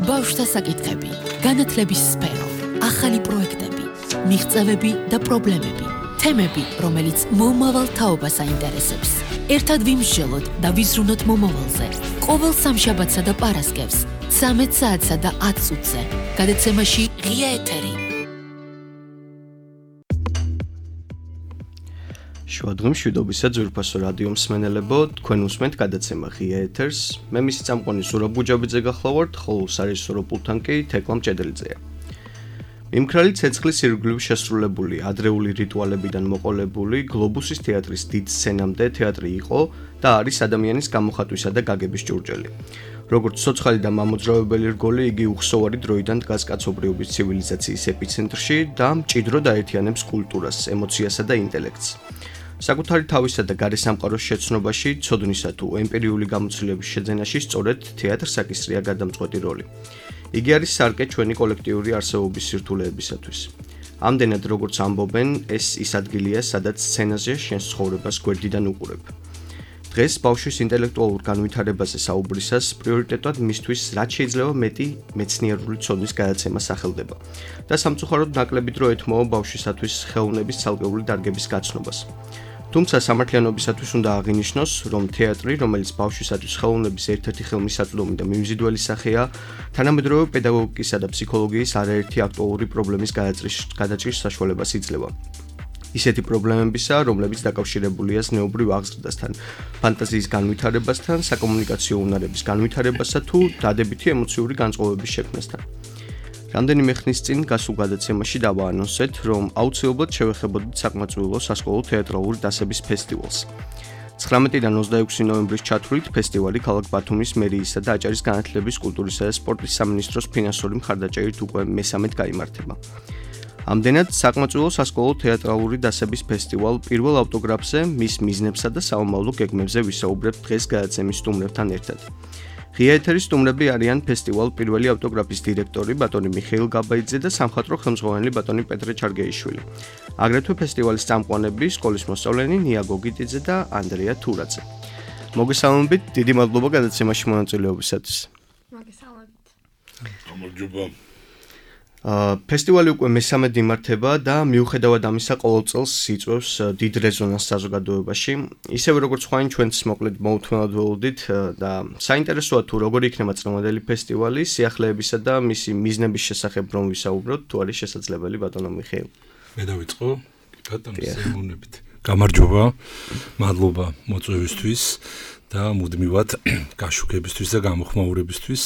ბავშვთა საკითხები, განათლების სფერო, ახალი პროექტები, მიღწევები და პრობლემები, თემები, რომელიც მომავალ თაობას აინტერესებს. ერთად ვიმსჯელოთ და ვიზრუნოთ მომავალზე. ყოველ სამშაბათსა და პარასკევს, 13 საათსა და 10 წუთზე. გადაცემაში ღია ეთერი. შუადღემ მშვიდობისა ძვირფასო რადიო მსმენელებო, თქვენ უსმენთ გადაცემა ღია ეთერს. მე მისი წამყვანი ზურაბ ბუჯაბიძე გახლავართ, ხოლო სარეჟისორო პულტთან კი თეკლა მჭედელიძეა. მიმქრალი ცეცხლის ირგვლივ შესრულებული ადრეული რიტუალებიდან მოყოლებული გლობუსის თეატრის დიდ სცენამდე თეატრი იყო და არის ადამიანის გამოხატვისა და გაგების ჭურჭელი. როგორც ცოცხალი და მამოძრავებელი რგოლი, იგი უხსოვარი დროიდან დგას კაცობრიობის ცივილიზაციის ეპიცენტრში და მჭიდროდ აერთიანებს კულტურას, ემოციასა და ინტელექტს. საკუთარი თავისა და გარესამყაროს შეცნობაში, ცოდნისა თუ ემპირიული გამოცდილების შეძენაში სწორედ თეატრს აკისრია გადამწყვეტი როლი. იგი არის სარკე ჩვენი კოლექტიური არსებობის სირთულეებისათვის. ამდენად როგორც ამბობენ, ეს ის ადგილია, სადაც სცენაზე შენს ცხოვრებას გვერდიდან უყურებ. დღეს ბავშვის ინტელექტუალურ განვითარებაზე საუბრისას პრიორიტეტად მისთვის რაც შეიძლება მეტი მეცნიერული ცოდნის გადაცემა სახელდება და სამწუხაროდ ნაკლები დრო ეთმოვა ბავშვისათვის ხელოვნების ცალკეული დარგების გაცნობას. თუმცა სამართლიანობისათვის უნდა აღინიშნოს, რომ თეატრი, რომელიც ბავშვისათვის ხელოვნების ერთ-ერთი ხელმისაწვდომი და მიმზიდველი სახეა, თანამედროვე პედაგოგიკისა და ფსიქოლოგიის არაერთი აქტუალური პრობლემის გადაჭრის საშუალებას იძლევა. ისეთი პრობლემებისა, რომლებიც დაკავშირებულია ზნეობრივ აღზრდასთან, ფანტაზიის განვითარებასთან, საკომუნიკაციო უნარების განვითარებასა თუ დადებითი ემოციური განწყობების შექმნასთან. რამდენიმე ხნის წინ გასულ გადაცემაში დავაანონსეთ, რომ აუცილებლად შევეხებოდით საკმაწყვილო სასკოლო თეატრალური დასების ფესტივალს. 19-დან 26 ნოემბრის ჩათვლით ფესტივალი ქალაქ ბათუმის მერიისა და აჭარის განათლების, კულტურისა და სპორტის სამინისტროს ფინანსური მხარდაჭერით უკვე მესამედ გაიმართება. ამდენად საკმაწყვილო სასკოლო თეატრალური დასების ფესტივალ პირველ ავტოგრაფზე, მის მიზნებსა და საომავლო გეგმებზე ვისაუბრებთ დღეს გადაცემის სტუმრებთან ერთად. ღია ეთერის სტუმრები არიან ფესტივალ პირველი ავტოგრაფის დირექტორი ბატონი მიხეილ გაბაიძე და სამხატვრო ხელმძღვანელი ბატონი პეტრე ჩარგეიშვილი. აგრეთვე ფესტივალის წამყვანები, სკოლის მოსწავლენი ნია გოგიტიძე და ანდრია თურაძე. მოგესალმებით, დიდი მადლობა გადაცემაში მონაწილეობისათვის. მოგესალმებით. გამარჯობა. ფესტივალი უკვე მესამედ იმართება და მიუხედავად ამისა ყოველ წელს იწვევს დიდ რეზონანსს საზოგადოებაში. ისევე როგორც ხვაინ ჩვენც მოკლედ მოუთმენად ველოდით და საინტერესოა თუ როგორი იქნება წლევანდელი ფესტივალი, სიახლეებისა და მისი მიზნების შესახებ რომ ვისაუბროთ, თუ არის შესაძლებელი ბატონო მიხეილ. მე დავიწყო, ბატონო სემონებით. გამარჯობა, მადლობა მოწვევისთვის და მუდმივად გაშუქებისთვის და გამოხმაურებისთვის.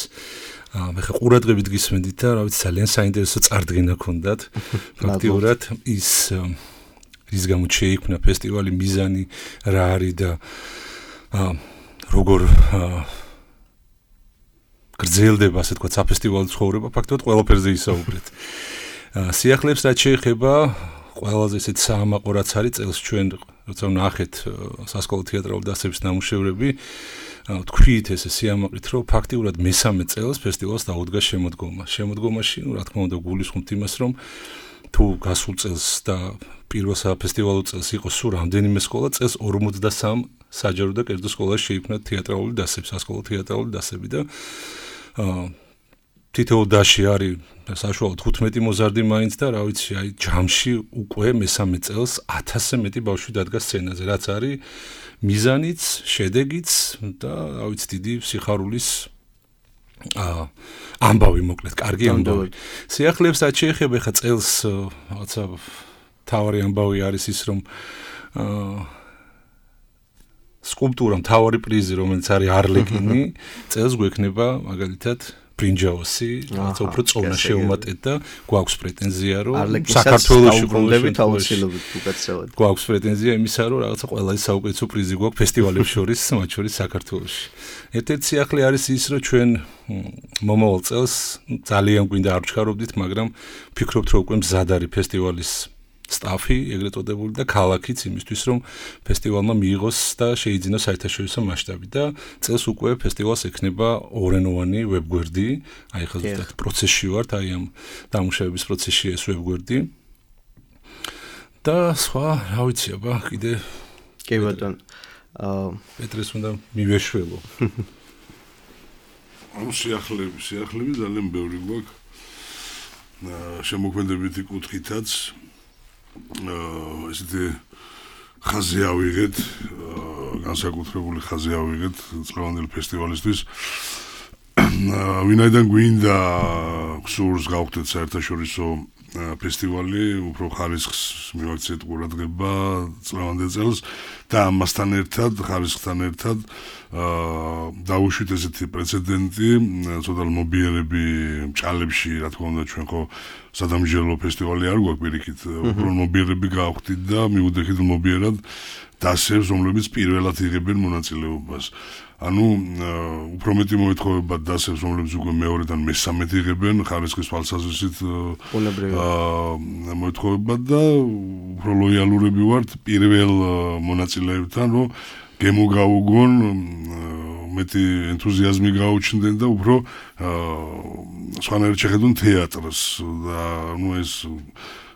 მე ხა ყურადღებით გისმენდით და რა ვიცი ძალიან საინტერესო წარდგენა გქონდათ. ფაქტიურად ის რის გამოც შეიქმნა ფესტივალი, მიზანი რა არის და როგორ გრძელდება ასე თქვა საფესტივალო ცხოვრება, ფაქტობრივად ყველაფერზე ისაუბრეთ. სიახლეებს რაც შეეხება ყველაზე ესეთ საამაყო რაც არის წელს ჩვენ როცა ვნახეთ სასკოლო თეატრალური დასების ნამუშევრები, თქვით ესე სიამაყით, რომ ფაქტიურად მესამე წელს ფესტივალს დაუდგა შემოდგომა. შემოდგომაში, რა თქმა უნდა, გულისხმობთ იმას, რომ თუ გასულ წელს და პირველ საფესტივალო წელს იყო სულ რამდენიმე სკოლა, წელს 53 საჯარო და კერძო სკოლაში შეიქმნა თეატრალური დასები, სასკოლო თეატრალური დასები და თითოეულ დასში არის საშუალოდ 15 მოზარდი მაინც და რა ვიცი, აი ჯამში უკვე მესამე წელს 1000-ზე მეტი ბავშვი დადგა სცენაზე, რაც არის მიზანიც, შედეგიც და რა ვიცი, დიდი სიხარულის ამბავი მოკლედ, კარგი ამბავი. სიახლეებს რაც შეეხება ხა წელს რაღაცა თავარი ამბავი არის ის, რომ სკულპტურა მთავარი პრიზი, რომელიც არის არლეკინი, წელს გვექნება მაგალითად ბრინჯაოსი, რაც უფრო წონა შეუმატეთ და გვაქვს პრეტენზია, რომ საქართველოში გუნდებით აუცილებლად უკაცრავად. გვაქვს პრეტენზია იმისა, რომ რაღაცა ყველა საუკეთესო პრიზი გვაქვს ფესტივალებს შორის, მათ შორის საქართველოში. ერთ-ერთი სიახლე არის ის, რომ ჩვენ მომავალ წელს ძალიან გვინდა არ ვჩქარობდით, მაგრამ ვფიქრობთ, რომ უკვე მზად არის ფესტივალის სტაფი, ეგრეთ წოდებული და ქალაქიც იმისთვის, რომ ფესტივალმა მიიღოს და შეიძინოს საერთაშორისო მასშტაბი და წელს უკვე ფესტივალს ექნება ორენოვანი ვებგვერდი, აი ხა ზუსტად პროცესში ვართ, აი ამ დამუშავების პროცესში ეს ვებგვერდი. და სხვა, რა ვიცი, აბა, კიდე კი ბატონო. პეტრეს უნდა მივეშველო. ანუ სიახლეები ძალიან ბევრი გვაქვს. შემოქმედებითი კუთხითაც ესეთი ხაზი ავიღეთ, განსაკუთრებული ხაზი ავიღეთ წლევანდელი ფესტივალისთვის. ვინაიდან გვინდა გსურს გავხდეთ საერთაშორისო ფესტივალი, უფრო ხარისხს მივაქციეთ ყურადღება წლევანდელ წელს და ამასთან ერთად, ხარისხთან ერთად დავუშვით ესეთი პრეცედენტი, ცოტა მობიერები ჭალებში, რა თქმა უნდა, ჩვენ ხო სადამსჯელო ფესტივალი არ გვაქვს პირიქით, უფრო მობიერები გავხდით და მივუდექით მობიერად დასებს, რომლებიც პირველად იღებენ მონაწილეობას. ანუ უფრო მეტი მოეთხოვება დასებს, რომლებიც უკვე მეორედან მესამედ იღებენ ხარისხის თვალსაზრისით მოეთხოვება და უფრო ლოიალურები ვართ პირველ მონაწილეებთან, რომ გემოგაუგონ მეტი ენთუზიაზმი გაუჩნდნენ და უფრო სხვანაირად შეხედონ თეატრს და ნუ ეს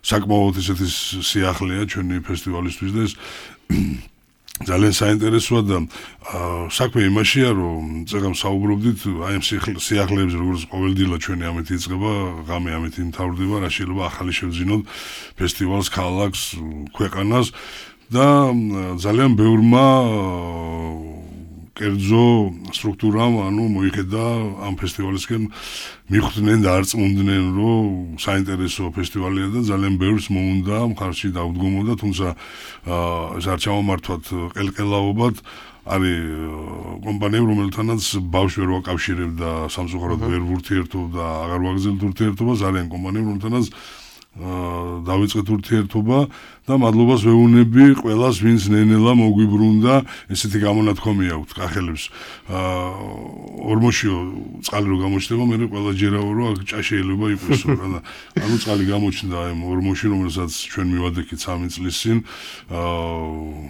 საკმაოდ ესეთი სიახლეა ჩვენი ფესტივალისთვის და ეს ძალიან საინტერესოა და საქმე იმაშია, რომ წეგამ საუბრობდით აი ამ სიახლეებზე, როგორც ყოველდღიურად ჩვენი ამით იწყება, ღამე ამით იმთავრდება, რა შეიძლება ახალი შევძინოთ ფესტივალს, ქალაქს, ქვეყანას და ძალიან ბევრმა კერძო სტრუქტურამ ანუ მოიხედა ამ ფესტივალისკენ მიხვდნენ და არწმუნდნენ, რომ საინტერესო ფესტივალია და ძალიან ბევრს მოუნდა მხარში დაუდგომოდა, თუმცა ეს არ ჩამომართვათ ყელყელაობად. არის კომპანიები, რომელთანაც ბავშვი ვერ ვაკავშირებდა, სამწუხაროდ ვერ ვურთიერთობდა, აღარ ვაგრძელებთ ურთიერთობას, არიან კომპანიები, რომელთანაც დავიწყეთ ურთიერთობა და მადლობას ვეუბნები ყველას, ვინც ნენელა მოგვიბრუნდა, ესეთი გამონათქვამი აქვთ კახელებს. ორმოშიო წყალი რო გამოჩნდება, მე ყველა ჯერავ რომ აქ ჭა შეიძლება იყოს რა და ანუ წყალი გამოჩნდა აი ორმოში, რომელსაც ჩვენ მივადექით 3 წლის წინ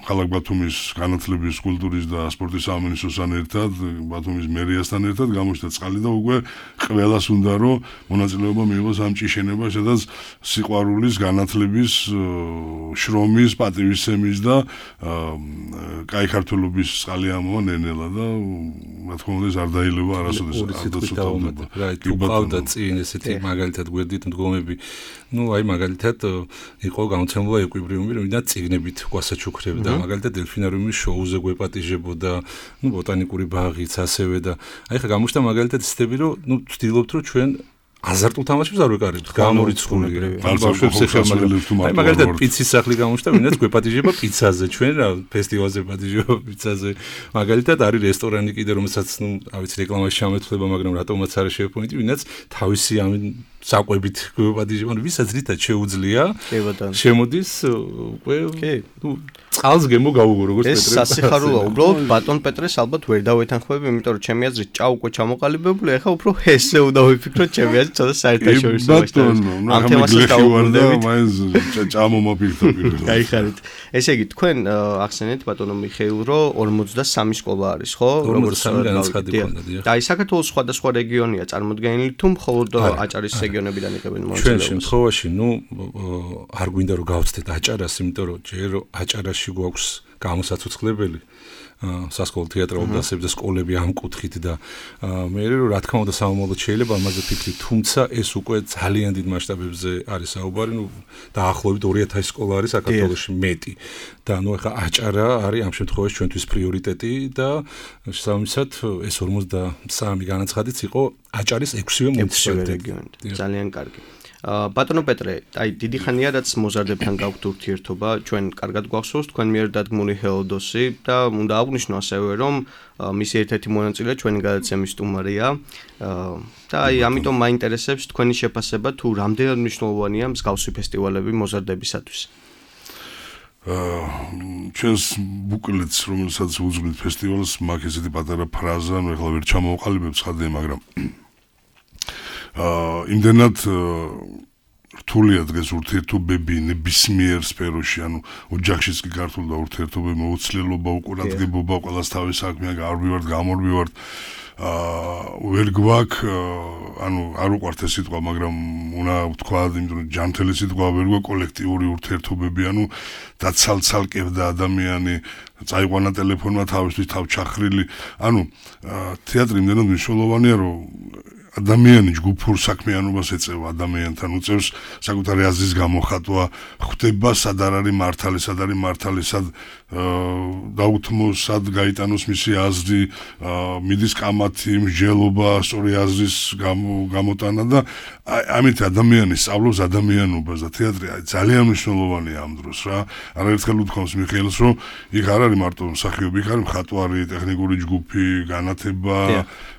ქალაქ ბათუმის განათლების, კულტურის და სპორტის სამინისტროსთან ერთად, ბათუმის მერიასთან ერთად გამოჩნდა წყალი და უკვე ყველას უნდა რომ მონაწილეობა მიიღოს ამ ჭიშენებას, სადაც სიყვარულის, განათლების, შრომის, პატივისცემის და კაი ქართველობის წყალი ამოვა ნენელა და რა თქმა უნდა ეს არ დაილევა არასოდეს არასოდეს. რა თუ ყავდა წინ ესეთი მაგალითად გვერდით მდგომები, ну აი მაგალითად იყო გამოცემულა ეკვიბრიუმი, რომელსაც წიგნებით გვასაჩუქრებდა, მაგალითად დელფინარიუმის შოუზე გვეპატიჟებოდა, ну ბოტანიკური ბაღიც ასევე და აი ხა გამოჩნდა მაგალითად ისეთები, რომ ну ვცდილობთ რომ ჩვენ აზარტულ თამაშებს არ ვეკარებთ, გამორიცხული. აი მაგალითად პიცის სახლი გამოჩნდა, ვინაც გვეპატიჟება პიცაზე, ჩვენ რა ფესტივალზე პატიჟება პიცაზე. მაგალითად არის რესტორანი კიდე, რომელსაც ნუ ავიცი რეკლამაში ჩამეთვლება, მაგრამ რატომაც არ შეეფონიტი, ვინაც თავისი ამ საკვებით გვეპატიჟება, ვისაც რითაც შეუძლია. შემოდის უკვე ნუ წყალს გემო გაუგო როგორც პეტრე. ეს სასიხარულოა, უბრალოდ ბატონ პეტრეს ალბათ ვერ დავეთანხმები, იმიტომ რომ ჩემი აზრით ჭა უკვე ჩამოყალიბებული, ახლა უფრო ესე უნდა ვიფიქრო ჩემი აზრით, ცოტა საერთაშორისო ბატონო, ამ თემასაც დავუბრუნდებით. წამომაფიქრდა პირველად. გაიხარით. ესე იგი, თქვენ ახსენეთ ბატონო მიხეილ, რომ 43 სკოლა არის, ხო? როგორც განაცხადი ქონდა, დიახ. და აი საქართველოს სხვადასხვა რეგიონია წარმოდგენილი, თუ მხოლოდ აჭარის რეგიონებიდან იღებენ მონაწილეობას. ჩვენ შემთხვევაში, ნუ არ გვინდა რომ გავცდეთ აჭარას, იმიტომ რომ ჯერ აჭარაში გვაქვს გამოსაცოცხლებელი სასკოლო თეატრალურ დასებზე სკოლები ამ კუთხით და მე რა თქმა უნდა სამომავლოდ შეიძლება ამაზე ფიქრით, თუმცა ეს უკვე ძალიან დიდ მასშტაბებზე არის საუბარი, ნუ დაახლოებით 2000 სკოლა არის საქართველოში მეტი და ნუ ახლა აჭარა არის ამ შემთხვევაში ჩვენთვის პრიორიტეტი და შესაბამისად ეს 53 განაცხადიც იყო აჭარის 6-ვე მუნიციპალიტეტი. ძალიან კარგი. ბატონო პეტრე, აი დიდი ხანია რაც მოზარდებთან გაქვთ ურთიერთობა, ჩვენ კარგად გვახსოვს თქვენ მიერ დადგმული ჰელოდოსი და უნდა აღვნიშნო ასევე რომ მისი ერთ-ერთი მონაწილე ჩვენი გადაცემის სტუმარია და აი ამიტომ მაინტერესებს თქვენი შეფასება თუ რამდენად მნიშვნელოვანია მსგავსი ფესტივალები მოზარდებისათვის. ჩვენს ბუკლეტს, რომელსაც უძღვით ფესტივალს, მაგ ესეთი პატარა ფრაზა, ნუ ახლა ვერ ჩამოვყალიბებ ხადე, მაგრამ იმდენად რთულია დღეს ურთიერთობები ნებისმიერ სფეროში, ანუ ოჯახშიც კი ქართულ და ურთიერთობები მოუცლელობა, უყურადღებობა, ყველას თავის საქმეა, გამორბივართ. ვერ გვაქვს ანუ არ უყვართ ეს სიტყვა, მაგრამ უნდა ვთქვა, იმიტომ რომ ჯანმრთელი სიტყვა ვერ გვა კოლექტიური ურთიერთობები, ანუ დაცალცალკებდა ადამიანი, წაიყვანა ტელეფონმა თავისთვის თავჩახრილი. ანუ თეატრი იმდენად მნიშვნელოვანია, რომ ადამიანი ჯგუფურ საქმიანობას ეწევა, ადამიანთან უწევს საკუთარი აზრის გამოხატვა, ხვდება სად არის მართალი, სად არის მართალი, სად დაუთმოს, სად გაიტანოს მისი აზრი, მიდის კამათი, მსჯელობა, სწორი აზრის გამოტანა და ამით ადამიანი სწავლობს ადამიანობას და თეატრი ძალიან მნიშვნელოვანია ამ დროს რა. არაერთხელ უთქვამს მიხეილს, რომ იქ არ არის მარტო მსახიობი, იქ არის მხატვარი, ტექნიკური ჯგუფი, განათება,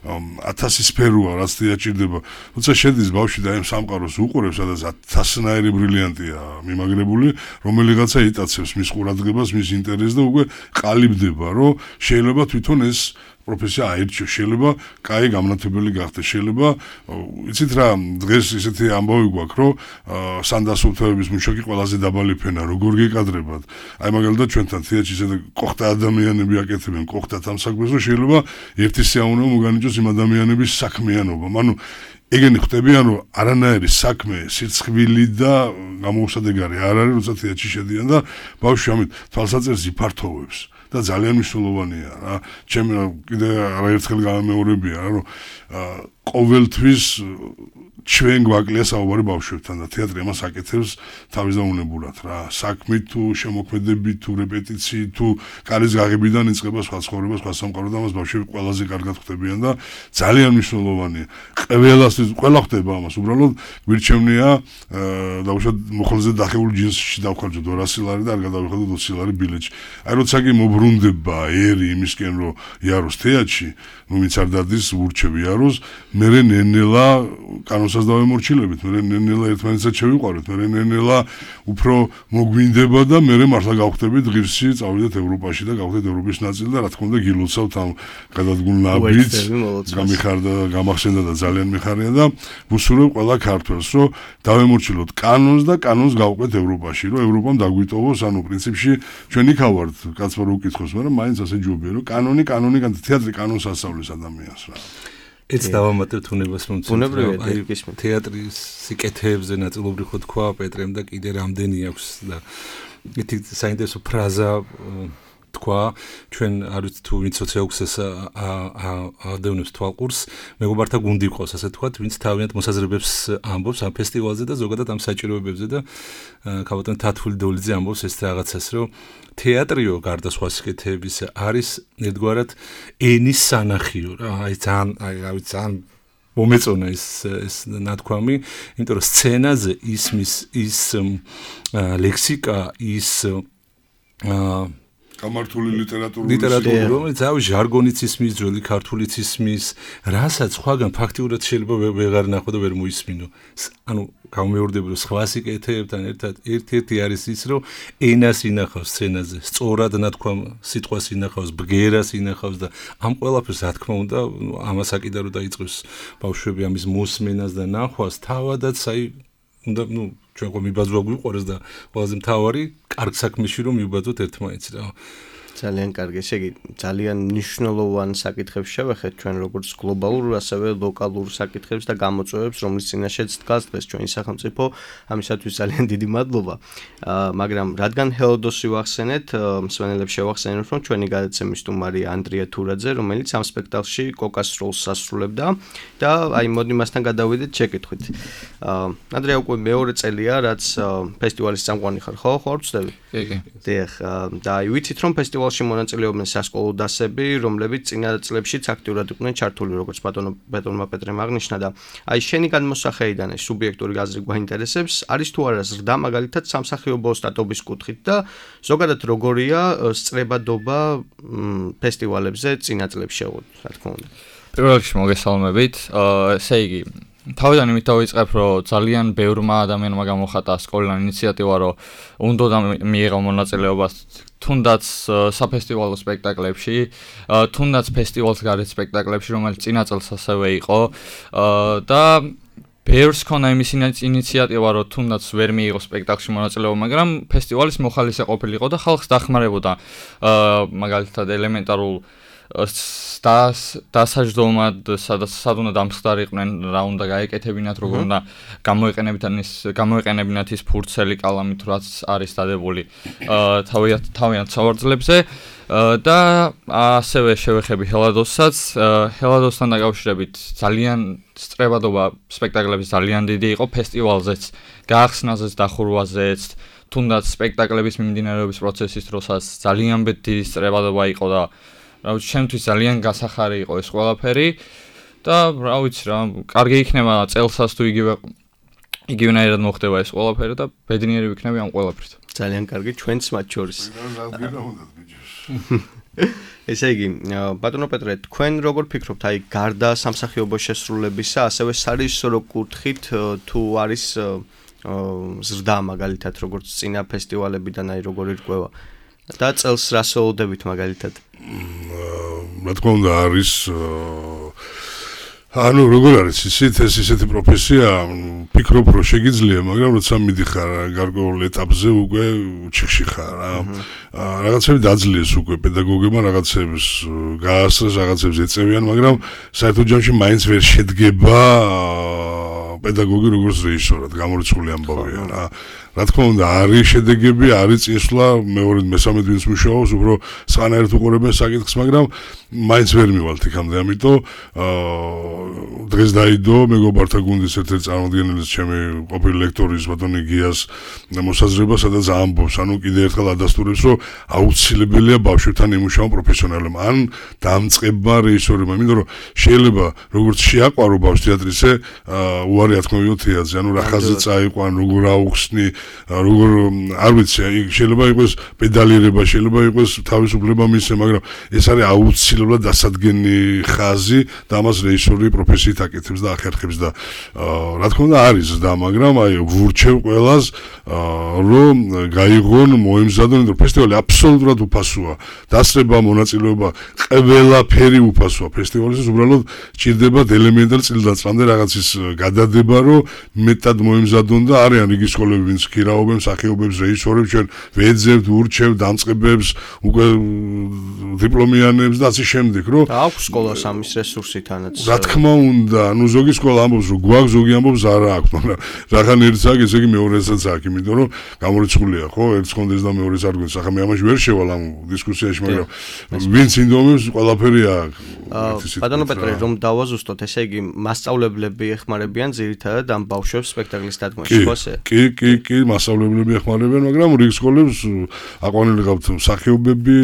1000 სფეროა, რაც დაჭირდება. თუმცა შედის ბავშვი და ამ სამყაროს უყურებს, სადაც 1000-ნაირი ბრილიანტია მიმაგრებული, რომელიღაცა იტაცებს მის ყურადღებას, მის ინტერესს და უკვე ყალიბდება, რომ შეიძლება თვითონ ეს პროფესია აირჩიოს, შეიძლება კაი გამნათებელი გახდეს, შეიძლება იცით რა, დღეს ისეთი ამბავი გვაქვს, რომ სანდასულთების მუშაკი ყველაზე დაბალი ფენა, როგორ გეკადრებათ. აი მაგალითად ჩვენთან თეატრში ისეთი ყოხთა ადამიანები აკეთებენ ყოხთათ ამ საქმეს, რომ შეიძლება ერთი სიამოვნებო მოგანიჭოს იმ ადამიანების საქმიანობა. ანუ ეგენი ხდებიან, რომ არანაირი საქმე, სირცხვილი და გამოუსადეგარი არ არის, როცა თეატრში შედიან და ბავშვი ამით თვალსაჩინოს იფართოვებს. და ძალიან მნიშვნელოვანია რა. ჩემი კიდე არაერთხელ გამეორებია რა, რომ ყოველთვის ჩვენ გვაკლია საუბარი ბავშვებთან და თეატრი ამას აკეთებს თავისდაუნებურად რა. საქმით თუ შემოქმედებით თუ რეპეტიციით თუ კარის გაღებიდან იწყება სხვა ცხოვრება, სხვა სამყარო და ამას ბავშვები ყველაზე კარგად ხვდებიან და ძალიან მნიშვნელოვანია. ყველა ხვდება ამას, უბრალოდ გვირჩევნია დაუშვათ მოხელზე დახეული ჯინსში დავხარჯოთ 200 ლარი და არ გადავიხადოთ 20 ლარი ბილეთში. აი როცა კი მობრუნდება ერი იმისკენ რომ იაროს თეატრში, ნუ ვინც არ დადის ურჩევი იაროს, მე ნენელა კანონსაც დავემორჩილებით, მე ნენელა ერთმანეთსაც შევიყვაროთ, მე ნენელა უფრო მოგვინდება და მე მართლა გავხდებით ღირსი, წავიდეთ ევროპაში და გავხდეთ ევროპის ნაწილი და რა თქმა უნდა გილოცავთ ამ გადადგმულ ნაბიჯს, გამიხარდა, გამახსენდა და ძალიან მიხარია და ვუსურვებ ყველა ქართველს, რომ დავემორჩილოთ კანონს და კანონს გავყვეთ ევროპაში, რომ ევროპამ დაგვიტოვოს, ანუ პრინციპში ჩვენ იქ ავართ, კაცმა რო უკითხოს, მაგრამ მაინც ასე ჯობია, რომ კანონი, თეატრი კანონს ასწავლის ადამიანს რა. ეს დავამატებთ უნებას რომ თეატრის სიკეთეებზე ნაწილობრივ ხო თქვა პეტრემ და კიდე რამდენი აქვს და ეთი საინტერესო ფრაზა თქვა ჩვენ არ ვიცი თუ ვინც სოციალურს ადევნებს თვალყურს მეგობართა გუნდი ყავს ასე თქვა ვინც თავიანთ მოსაზრებებს ამბობს ამ ფესტივალზე და ზოგადად ამ საჭიროებებზე და ქალბატონ თათული დოლიძე ამბობს ეს რაღაცას რომ თეატრიო გარდა სხვა სიკეთეების არის ერთგვარად ენის სანახიო რა აი ძალიან მომეწონა ეს ნათქვამი იმიტომ რომ სცენაზე ის ლექსიკა ის გამართული ლიტერატურული რომელიც ავი ჟარგონიც ისმის, ძველი ქართულიც ისმის, რასაც სხვაგან ფაქტიურად შეიძლება ვეღარ ნახო და ვერ მოისმინო. ანუ გამეორდები რომ სხვა სიკეთეებთან ერთად ერთ-ერთი არის ის რომ ენას ინახავს სცენაზე, სწორად ნათქვამ სიტყვას ინახავს, ბგერას ინახავს და ამ ყველაფერს რა თქმა უნდა ამას აკიდა რომ დაიწყოს ბავშვები ამის მოსმენას და ნახვას თავადაც აი უნდა ჩვენ ყო მიბაძვა გვიყვარეს და ყველაზე მთავარი კარგ საქმეში რომ მიბაძოთ ერთმანეთს რა. ძალიან კარგი, ესე იგი ძალიან მნიშვნელოვან საკითხებს შევეხეთ ჩვენ როგორც გლობალურ, ასევე ლოკალურ საკითხებს და გამოწვევებს, რომლის წინაშეც დგას დღეს ჩვენი სახელმწიფო. ამისათვის ძალიან დიდი მადლობა. მაგრამ რადგან ჰელოდოსი ვახსენეთ, მსმენელებს შევახსენებთ, რომ ჩვენი გადაცემის სტუმარი ანდრია თურაძე, რომელიც ამ სპექტაკლში კოკას როლს ასრულებდა და აი მოდი მასთან გადავიდეთ შეკითხვით. ანდრია უკვე მეორე წელია, რაც ფესტივალის წამყვანი ხარ, ხო? ხო არ ვწდები? კი. დიახ, და ვიცით რომ ფესტივალში მონაწილეობენ სასკოლო დასები, რომლებიც წინა წლებშიც აქტიურად იყვნენ ჩართული, როგორც ბატონმა პეტრემ აღნიშნა და აი შენი განმოსახედიდან ეს სუბიექტური აზრი გვაინტერესებს, არის თუ არა ზრდა მაგალითად სამსახიობო სტატობის კუთხით და ზოგადად როგორია სწრებადობა ფესტივალებზე წინა წლებში შეგვიძლია, რა თქმა უნდა. პირველ რიგში მოგესალმებით. ესე იგი თავიდან იმით დავიწყებ, რომ ძალიან ბევრმა ადამიანმა გამოხატა სკოლიდან ინიციატივა, რომ უნდა მიიღო მონაწილეობა თუნდაც საფესტივალო სპექტაკლებში, თუნდაც ფესტივალს გარეთ სპექტაკლებში, რომელიც წინა წელს ასევე იყო და ბევრს ქონა იმის ინიციატივა, რომ თუნდაც ვერ მიიღო სპექტაკლში მონაწილეობა, მაგრამ ფესტივალის მოხალისე ყოფილიყო და ხალხს დახმარებოდა მაგალითად ელემენტარულ დასაჯდომად სად უნდა დამხდარიყვნენ, რა უნდა გაეკეთებინათ, როგორ უნდა გამოეყენებინათ ის ფურცელი კალამით, რაც არის დადებული თავიანთ სავარძლებზე და ასევე შევეხები ჰელადოსსაც. ჰელადოსთან დაკავშირებით ძალიან სწრებადობა სპექტაკლების ძალიან დიდი იყო ფესტივალზეც, გაახსნაზეც, დახურვაზეც, თუნდაც სპექტაკლების მიმდინარეობის პროცესის დროსაც ძალიან დიდი სწრებადობა იყო და რა ვიცი, ჩემთვის ძალიან გასახარი იყო ეს ყველაფერი და რა ვიცი რა, კარგი იქნება წელსაც თუ იგივენაირად მოხდება ეს ყველაფერი და ბედნიერი ვიქნები ამ ყველაფრით. ძალიან კარგი, ჩვენც მათ შორის. ესე იგი, ბატონო პეტრე, თქვენ როგორ ფიქრობთ, აი გარდა სამსახიობო შესრულებისა, ასევე სარეჟისორო კუთხით თუ არის ზრდა მაგალითად, როგორც წინა ფესტივალებიდან, აი როგორ ირკვევა და წელს რა სოუდებით მაგალითად? რა თქმა უნდა არის ანუ როგორ არის ისეთი პროფესია, ფიქრობ რომ შეგიძლია, მაგრამ როცა მიდიხარ გარკვეულ ეტაპზე უკვე ჩიხში ხარ რა. რაღაცები დაძლიეს უკვე პედაგოგებმა რაღაცებს გაასწრეს, რაღაცებს ეწევიან, მაგრამ საერთოდ ჯამში მაინც ვერ შედგება პედაგოგი როგორც რეჟისორად, გამორიცხული ამბავია რა. რა თქმა უნდა, არის შედეგები, არის წინსვლა, მეორედ მესამედ ვინც მუშაობს, უფრო სხვანაირად უყურებენ საკითხს, მაგრამ მაინც ვერ მივალთ იქამდე, ამიტომ დღეს დაიდო მეგობართა გუნდის ერთ-ერთი წარმომადგენლის ჩემი ყოფილი ლექტორის ბატონი გიას მოსაზრება, სადაც ამბობს, ანუ კიდე ერთხელ ადასტურებს, რომ აუცილებელია ბავშვებთან იმუშაონ პროფესიონალებმა, ან დამწყება რეჟისორებმა, იმიტომ რომ შეიძლება როგორც შეაყვარო ბავშვს თეატრისე, უარი ათქმევიო თეატრზე, ანუ რა ხაზზე წაიყვან, როგორ აუხსნი, როგორ არ ვიცი, შეიძლება იყოს პედალირება, შეიძლება იყოს თავისუფლება მისცე, მაგრამ ეს არის აუცილებლად დასადგენი ხაზი და ამას რეჟისორი პროფესიით აკეთებს და ახერხებს და რა თქმა უნდა არის და მაგრამ აი ვურჩევ ყველას რომ გაიღონ, მოემზადონ, რომ ფესტივალი აბსოლუტურად უფასოა. დასწრება, მონაწილეობა, ყველაფერი უფასოა ფესტივალის, უბრალოდ ჭირდებათ ელემენტარ წილდაწყამდე რაღაცის გადადება, რომ მეტად მოემზადონ და არიან იგი სკოლები, ვინც ქირაობენ, მსახიობებს, რეჟისორებს, ჩვენ ვეძებთ, ვურჩევთ, დამწყებებს, უკვე დიპლომიანებს და ასე შემდეგ, რომ აქვს სკოლას ამის რესურსი თანაც. რა თქმა უნდა, ну ზოგი სკოლა ამბობს, რომ გვაქვს, ზოგი ამბობს არა აქვს, მაგრამ რახან ერთს აქვს, ესე იგი მეორესაც აქვს, იმიტომ რომ გამორიცხულია, ხო, ერთს კონდეს და მეორეს არ გვინდა. ახლა მე ამაში ვერ შევალ ამ დისკუსიაში, მაგრამ ვინც ინდომებს, ყველაფერი აქვს. ბატონო პეტრე, რომ დავაზუსტოთ, ესე იგი მასწავლებლები ეხმარებიან ძირითადად ამ ბავშვებს სპექტაკლის დადგმაში, ხო ასე? კი, მასწავლებლები ეხმარებიან, მაგრამ რიგ სკოლებს აყვანილი გაქვთ მსახიობები,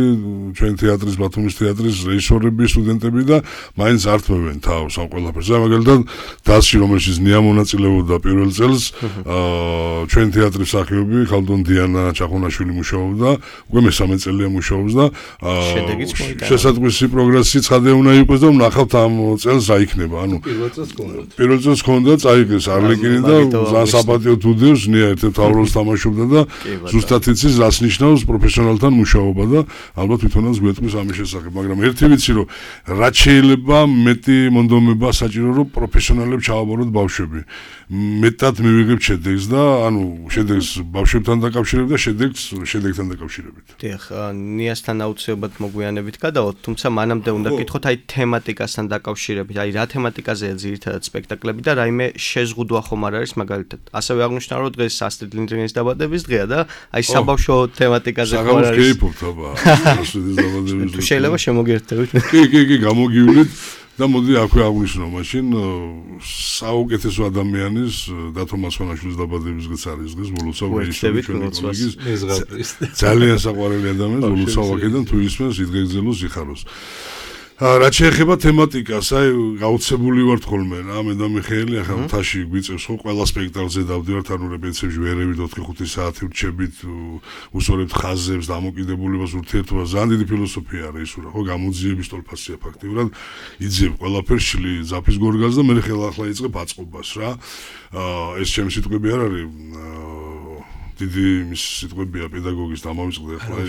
ჩვენ თეატრის, ბათუმის თეატრის რეჟისორები, სტუდენტები და მაინც ართმევენ თავს ამ ყველაფერს. მაგალითად, დასში, რომელშიც ნია მონაწილეობდა პირველ წელს, ჩვენ თეატრის მსახიობი ხალდონ დიანა ჩახონაშვილი მუშაობდა, უკვე მესამე წელია მუშაობს და შესატყვისი პროგრესი ცხადე უნდა იყოს და ვნახავთ ამ წელს რა იქნება. ანუ პირველ წელს ჰქონდა წაიღეს არლეკინი და ძალიან საპატიოდ უდევს, ნია ერთ-ერთ მთავრობას თამაშობდა და ზუსტად იცის რას ნიშნავს პროფესიონალთან მუშაობა და ალბათ თვითონაც გვეტყვის ამის შესახებ, მაგრამ ერთი ვიცი რომ რაც შეიძლება მეტი მონდომება საჭირო რომ პროფესიონალებს ჩააბაროთ ბავშვები. მეტად მივიღებთ შედეგს და ანუ შედეგს ბავშვებთან დაკავშირებით და შედეგთან დაკავშირებით. დიახ, ნიასთან აუცილებლად მოგვიანებით გადავალთ, თუმცა მანამდე უნდა გითხოთ აი თემატიკასთან დაკავშირებით, აი რა თემატიკაზეა ძირითადად სპექტაკლები და რაიმე შეზღუდვა ხომ არ არის მაგალითად. ასევე აღნიშნა რომ დღეს ასტრიდ ლინდგრენის დაბადების დღეა და აი საბავშვო თემატიკაზე ხომ არ არის. გეიფობთ აბა. ასტრიდის დაბადების დღე. შეიძლება შემოგერთებით. კი, გამოგივლით. და მოდი აქვე აღვნიშნო მაშინ საუკეთესო ადამიანის დათო მასვანაშვილის დაბადების დღეც არის დღეს ვოლოცავ რეჟისორი ჩვენი კოლეგის ძალიან საყვარელი ადამიანი ვოლოცავ აქედან თუ ისმენს იდგეგზელოს იხაროს. რაც შეეხება თემატიკას, აი გაუცებული ვართ ხოლმე რა, მე და მიხეილი ახლა მთაში გვიწევს ხო ყველა სპექტაკლზე დავდივართ, ანუ რეპეტიციებში ვერევით 4-5 საათი ვრჩებით, უსწორებთ ხაზებს, დამოკიდებულებას, ურთიერთობას, ძალიან დიდი ფილოსოფია არის ის რა, ხო, გამოძიების ტოლფასია ფაქტიურად, იძებ ყველაფერს შლი ზაფის გორგას და მე ხელახლა იწყებ აწყობას რა. ეს ჩემი სიტყვები არ არის დიდი მის სიტყვებია პედაგოგის დამავიწყდა ახლა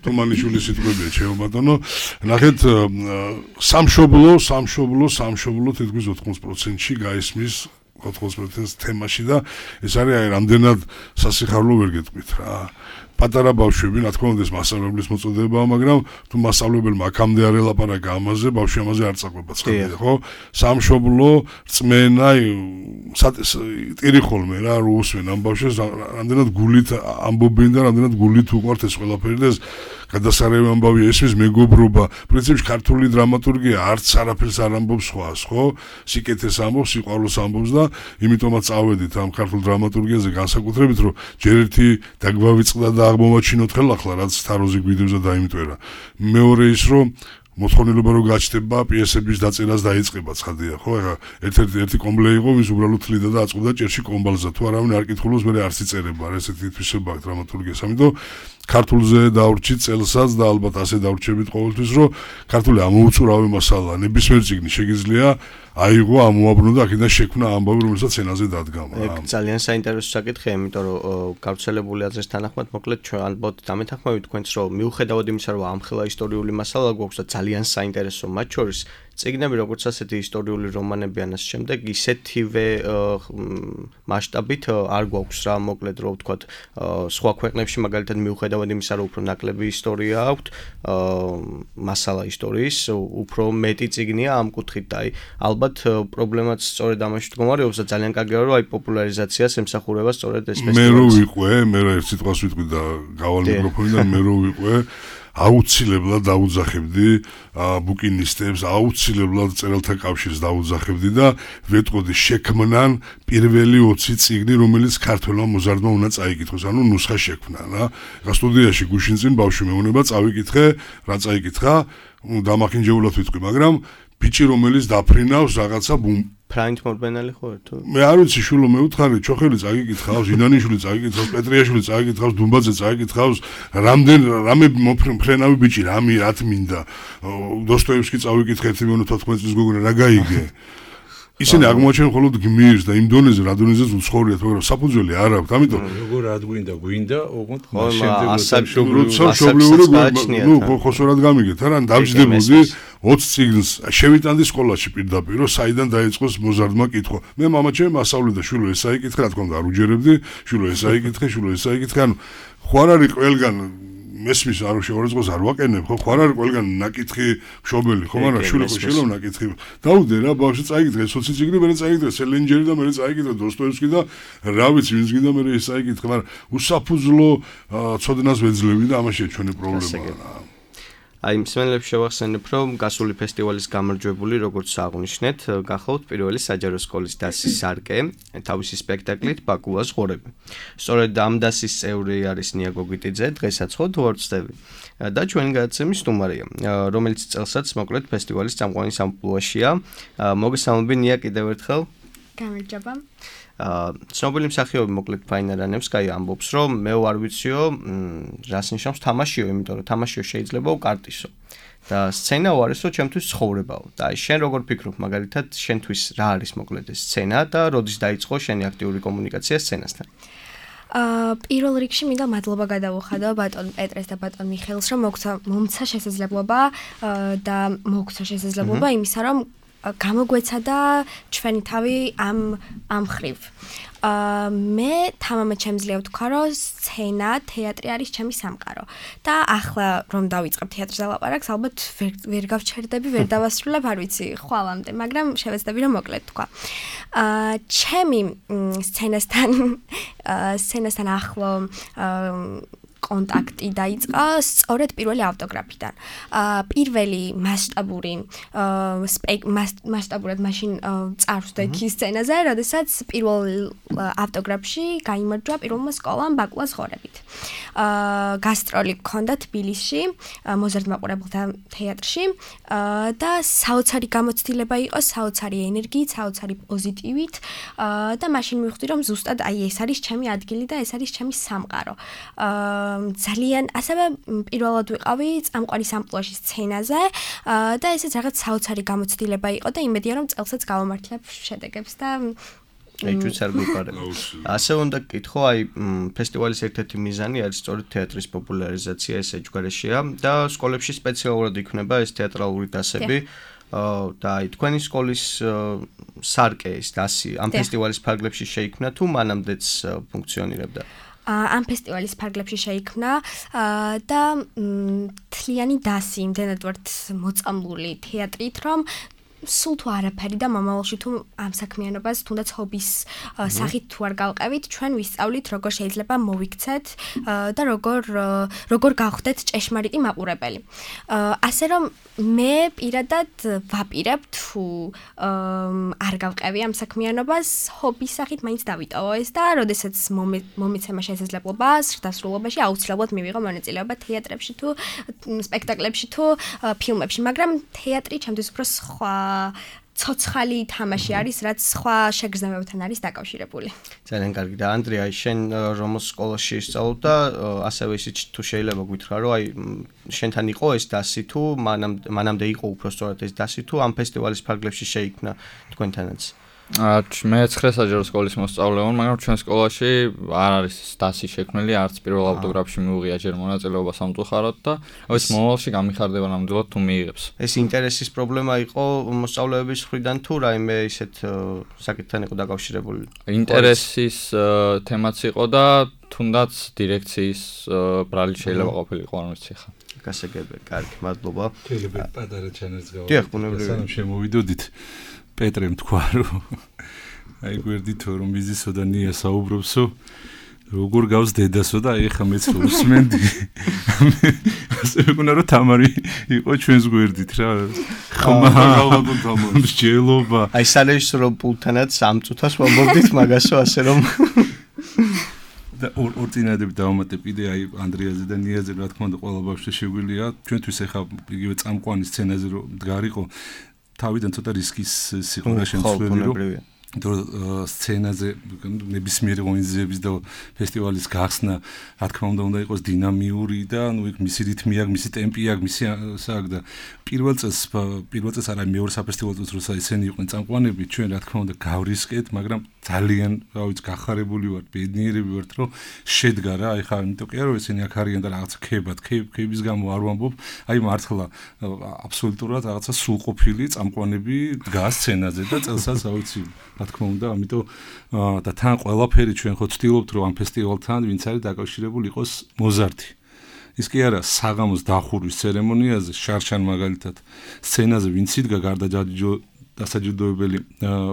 თუმანიშვილის სიტყვებია ჩემო ბატონო ნახეთ სამშობლო თითქმის 80%-ში გაისმის 80%-ს თემაში და ეს არის აი რამდენად სასიხარულო ვერ გეტყვით რა პატარა ბავშვები, რა თქმა უნდა, ეს მასწავლებლის მოწოდებაა, მაგრამ თუ მასწავლებელმა აქამდე არ ელაპარაკა ამაზე, ბავშვი ამაზე არ წაყვება ცხადია, ხო? სამშობლო, რწმენა, ტირი ხოლმე რა, რუსვენ ამ ბავშვებს რამდენად გულით ამბობენ და რამდენად გულით უყვართ ეს ყველაფერი და ეს გადასარევი ამბავი ესმის მეგობრობა. პრინციპში ქართული დრამატურგია არც არაფერს არ ამბობს სხვას, ხო? სიკეთეს ამბობს, სიყვარულს ამბობს და იმიტომაც წავედით ამ ქართულ დრამატურგიაზე განსაკუთრებით, რომ ჯერ ერთი დაგვავიწყდა და აღმოვაჩინოთ ხელახლა, რაც თაროზე გვიდევს და დაიმტვერა. მეორე ის, რომ მოთხოვნილება რო გაჩნდება პიესების დაწერას დაიწყება ცხადია, ხო? ეხლა ერთ-ერთი კომბლე იყო, ვის უბრალოდ თლიდა და აწყვდა ჭერში კომბალზე. თუ არავინ არ კითხულობს, მე არც იწერება, რა ესეთი თვისება აქვს დრამატურგიას. ამიტომ ქართულზე დავრჩით წელსაც და ალბათ ასე დავრჩებით ყოველთვის, რომ ქართული ამოუწურავი მასალა, ნებისმიერ წიგნი შეგიძლია აიღო, ამოაბრუნო და აქედან შექმნა ამბავი, რომელსაც ენაზე დადგა. ეგ ძალიან საინტერესო საკითხია, იმიტომ რომ გავრცელებული აზრის თანახმად, მოკლედ ჩვენ ალბათ დამეთანხმებით თქვენს, რომ მიუხედავად იმისა, რომ ამხელა ისტორიული მასალა გვაქვს და ძალიან საინტერესო მათ შორის წიგნები, როგორც ასეთი ისტორიული რომანები ან ამ შემდეგ, ისეთივე მასშტაბით არ გვაქვს რა, მოკლედ რომ ვთქვათ, სხვა ქვეყნებში მაგალითად მიუხედავად იმისა, რომ უფრო ნაკლები ისტორია აქვთ, მასალა ისტორიის, უფრო მეტი წიგნია ამ კუთხით და აი ალბათ პრობლემაც სწორედ ამაში მდგომარეობს და ძალიან კარგია რომ აი პოპულარიზაციას ემსახურება სწორედ ეს ფესტივალი. მე რო ვიყვე, მე რა ერთ სიტყვას ვიტყვი და გავალ მიკროფონიდან მე რო ვიყვე, აუცილებლად დაუძახებდი ბუკინისტებს, აუცილებლად წერალთა კავშირს დაუძახებდი და ვეტყოდი შექმნან პირველი 20 წიგნი, რომელიც ქართველმა მოზარდმა უნდა წაიკითხოს, ანუ ნუსხა შექმნა რა. სტუდიაში გუშინ წინ ბავშვი მეუნება წავიკითხე, რა წაიკითხა, დამახინჯებულად ვიტყვი, მაგრამ ბიჭი რომელიც დაფრინავს რაღაცა ფრანით მორბენალი ხო თუ? მე არ ვიცი შულო მეუთხარი, ჩოხელი წაიკითხავს, ინანიშვილი წაიკითხავს, პეტრიაშვილი წაიკითხავს, დუმბაძე წაიკითხავს, რამე მოფრენავი ბიჭი, რათ მინდა. დოსტოევსკი წავიკითხე 1.14 წლის გოგონა, რა გაიგე? ისინი აღმოაჩენენ მხოლოდ გმირს და იმ დონეზე რა დონეზეც უცხოვრიათ, მაგრამ საფუძველი არ აქვს. ამიტომ როგორ რა გვინდა, ოღონდ შემდეგმშობლიური, ხოსორად გამიგეთ, არა, დავჯდებოდი 20 წიგნს შევიტანდი სკოლაში პირდაპირ, რომ საიდან დაიწყოს მოზარდმა კითხვა. მე მამაჩემი მასწავლე და შვილო ეს აიკითხე, რა თქმა უნდა არ უჯერებდი, შვილო ეს აიკითხე, ანუ ხო არ არის ყველგან მესმის არ შეურაცხოს არ ვაკენებ, ხო არ არის ყველგან ნაკითხი მშობელი, ხო, მაგრამ შვილო შეიძლება ნაკითხი. დაუდე რა ბავშვი წაიკითხე 20 წიგნი, მე წაიკითხე სელენჯერი და მე წაიკითხე დოსტოევსკი და რა ვიცი, ვინც გინდა მე ეს წაიკითხე, მაგრამ უსაფუძვლო ცოდნას ვეძლევი და ამაშია ჩვენი პრობლემა. აი, მსმენელებს შევახსენებ, რომ გასული ფესტივალის გამარჯვებული, როგორც აღნიშნეთ, გახლავთ პირველი საჯარო სკოლის დასის სარკე, თავისი სპექტაკლით ბაკუას ღორები. სწორედ ამ დასის წევრი არის ნია გოგიტიძე, დღესაც ხო თუ არ ვწდები. და ჩვენი გადაცემის სტუმარია, რომელიც წელსაც მოკლედ ფესტივალის წამყვანი სამპლუაშია. მოგესალმები ნია კიდევ ერთხელ. გამარჯობა. ცნობილი მსახიობი მოკლედ ფაინა რანევსკაი ამბობს, რომ მე არ ვიციო, რას ნიშნავს თამაშიო, იმიტომ რომ თამაშიო შეიძლება უკარტისო. და სცენა უარესო ჩემთვის ცხოვრებაო. და აი შენ როგორ ფიქრობ, მაგალითად, შენთვის რა არის მოკლედ ეს სცენა და როდის დაიწყო შენი აქტიური კომუნიკაცია სცენასთან? პირველ რიგში მინდა მადლობა გადავუხადო ბატონ პეტრეს და ბატონ მიხეილს, რომ მომცა შესაძლებლობა და მოგცა შესაძლებლობა იმისა, რომ გამოგვეცადა ჩვენი თავი ამ ხრივ. მე თამამად შემძლია ვთქვა, რომ სცენა, თეატრი არის ჩემი სამყარო. და ახლა რომ დავიწყებ თეატრზე ლაპარაკს, ალბათ ვერ გავჩერდები, ვერ დავასრულებ, არ ვიცი, ხვალამდე, მაგრამ შევეცდები რომ მოკლედ თქვა. ჩემი სცენასთან ახლო კონტაქტი დაიწყო სწორედ პირველი ავტოგრაფიდან. პირველი მასშტაბურად მაშინ წარვსდექი სცენაზე, როდესაც პირველ ავტოგრაფში გაიმარჯვა პირველმა სკოლამ ბაკუას ღორებით. გასტროლი გქონდა თბილისში, მოზარდ მაყურებელთა თეატრში და საოცარი გამოცდილება იყო, საოცარი ენერგიით, საოცარი პოზიტივით და მაშინ მივხვდი, რომ ზუსტად აი ეს არის ჩემი ადგილი და ეს არის ჩემი სამყარო. ძალიან ასევე პირველად ვიყავი წამყვანი სამპლუაში სცენაზე და ესეც რაღაც საოცარი გამოცდილება იყო და იმედია რომ წელსაც გავამართლებ შედეგებს და ეჭვიც არ გვიყარება. ასე უნდა გკითხო, აი ფესტივალის ერთ-ერთი მიზანი არის სწორედ თეატრის პოპულარიზაცია ეს ეჯგარეშია და სკოლებში სპეციალურად იქნება ეს თეატრალური დასები. და აი თქვენი სკოლის სარკე ეს დასი ამ ფესტივალის ფარგლებში შეიქმნა თუ მანამდეც ფუნქციონირებდა? ამ ფესტივალის ფარგლებში შეიქმნა და თლიანი დასი იმდენად ვართ მოწამლული თეატრით, რომ სულ თუ არაფერი და მომავალში თუ ამ საქმიანობას თუნდაც ჰობის სახით თუ არ გავყევით, ჩვენ ვისწავლით როგორ შეიძლება მოვიქცეთ და როგორ გავხდეთ ჭეშმარიტი მაყურებელი. ასე რომ მე პირადად ვაპირებ თუ არ გავყევი ამ საქმიანობას, ჰობის სახით მაინც დავიტოვო ეს და როდესაც მომეცემა შესაძლებლობა დასრულებაში აუცილებლად მივიღო მონაწილეობა თეატრებში თუ სპექტაკლებში თუ ფილმებში, მაგრამ თეატრი ჩემთვის უფრო სხვა ცოცხალი თამაში არის, რაც სხვა შეგრძნებებთან არის დაკავშირებული. ძალიან კარგი და ანდრია, შენ რომოს სკოლაში ისწავლობ და ასევე ისიც თუ შეიძლება გითხრა, რომ აი შენთან იყო ეს დასი თუ მანამდე იყო უბრალოდ ეს დასი თუ ამ ფესტივალის ფარგლებში შეიქმნა თქვენთანაც? მე 9 საჯარო სკოლის მოსწავლე ვარ, მაგრამ ჩვენ სკოლაში არ არის დასი შექმნილი, არც პირველ ავტოგრაფში მიუღია ჯერ მონაწილეობა სამწუხაროდ და ეს მომავალში გამიხარდება ნამდვილად თუ მიიღებს. ეს ინტერესის პრობლემა იყო მოსწავლეების მხრიდან თუ რაიმე ისეთ საკითხთან იყო დაკავშირებული? ინტერესის თემაც იყო და თუნდაც დირექციის ბრალი შეიძლება ყოფილიყო, არ ვიცი ხა. გასაგებია, კარგი, მადლობა. შეიძლება პატარა ჩანერს გავაკეთოთ. დიახ, ბუნებრივია. სანამ შემოვიდოდით პეტრემ თქვა რომ აი გვერდითო რომ მიზისო და ნია საუბრობსო როგორ გავს დედასო და აი ხა მეც უსმენდი ასე მეგონა რომ თამარი იყო ჩვენს გვერდით რა ხმა ალბათ თამარი მსჯელობა აი სარეჟისორო პულტანაც ამწუთას ვამბობდით მაგასო ასე რომ და ორ წინადები დავამატე კიდე აი ანდრიაზე და ნიაზე რა თქმა უნდა ყველა ბავშვს შეგვიძლია ჩვენთვის ახლა იგივე წამყვანი სცენაზე რომ მდგარიყო თავიდან ცოტა რისკის სიყურა შემცვლელი რომ სცენაზე ნებისმიერი ღონისძიების და ფესტივალის გახსნა რა თქმა უნდა იყოს დინამიური და ნუ იქ მისი რითმი აქვს, მისი ტემპი აქვს, მისი სააგ და პირველ წელს არა მეორე საფესტივალო წელს როცა ისინი იყვნენ წამყვანები ჩვენ რა თქმა უნდა გავრისკეთ, მაგრამ ძალიან რა ვიცი გახარებული ვართ, ბედნიერები ვართ რომ შედგა რა, აი ხა იმიტომ კი არა რომ ისინი აქ არიან და რაღაცა ქებად, ქების გამო არ ვამბობ, აი მართლა აბსოლუტურად რაღაცა სულყოფილი წამყვანები დგას სცენაზე და წელსაც რა ვიცი რა თქმა უნდა, ამიტომ და თან ყველაფერი ჩვენ ხო ვცდილობთ რომ ამ ფესტივალთან ვინც არის დაკავშირებული იყოს მოზარდი. ის კი არა საღამოს დახურვის ცერემონიაზე შარშან მაგალითად სცენაზე ვინც იდგა გარდა დასაჯილდოებელი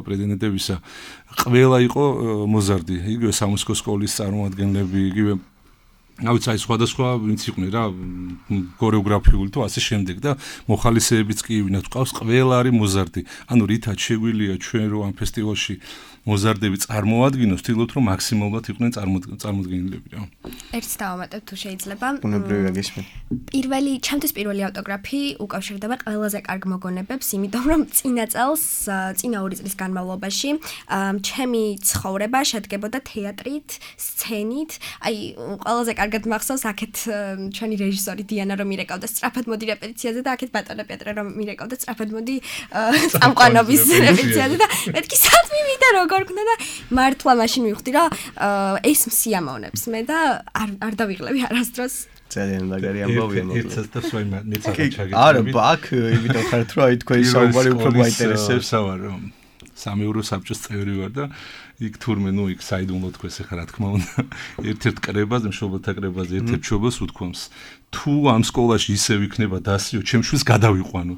პრეზიდენტებისა ყველა იყო მოზარდი. იგივე სამუსიკო სკოლის წარმომადგენლები, იგივე აი სხვადასხვა ვინც იყვნენ რა ქორეოგრაფიული თუ ასე შემდეგ და მოხალისეებიც კი ვინაც ყავს ყველა არის მოზარდი. ანუ რითაც შეგვიძლია ჩვენ რომ ამ ფესტივალში მოზარდები წარმოადგინოს, ვთქვით რომ მაქსიმალურად იყვნენ წარმოდგენილები რა. ერთს დავამატებ თუ შეიძლება. ბუნებრივია გისმენ. ჩემთვის პირველი ავტოგრაფი უკავშირდება ყველაზე კარგ მოგონებებს, იმიტომ რომ წინა 2 წლის განმავლობაში ჩემი ცხოვრება შედგებოდა თეატრით, სცენით, აი ყველაზე კარგად მახსოვს აქეთ ჩვენი რეჟისორი დიანა რომ მირეკავდა სწრაფად მოდი რეპეტიციაზე და აქეთ ბატონო პეტრე რომ მირეკავდა სწრაფად მოდი წამყვანობის რეპეტიციაზე და მეთქი სად მივიდა როგორ გქნა და მართლა მაშინ მივხვდი რომ ეს მსიამოვნებს მე და არ დავიღლები არასდროს ძალიან მაგარი ამბავია მოკლედ. ერთსაც და სხვა მეც არ ჩაგეთქვი. არა, ბაქ, იმიტომ ხართ რომ აი თქვენი საუბარი უფრო მაინტერესებს. სავარ რომ 3 ევრო საბჭოს წევრი ვარ და იქ თურმე ნუ იქ საიდუმლო თქოს ახლა რა თქმა უნდა ერთ-ერთ კრებაზე მშობელთა კრებაზე ერთ-ერთ მშობელს უთქვამს თუ ამ სკოლაში ისე ვიქნება დასიო ჩემ შვილს გადავიყვანო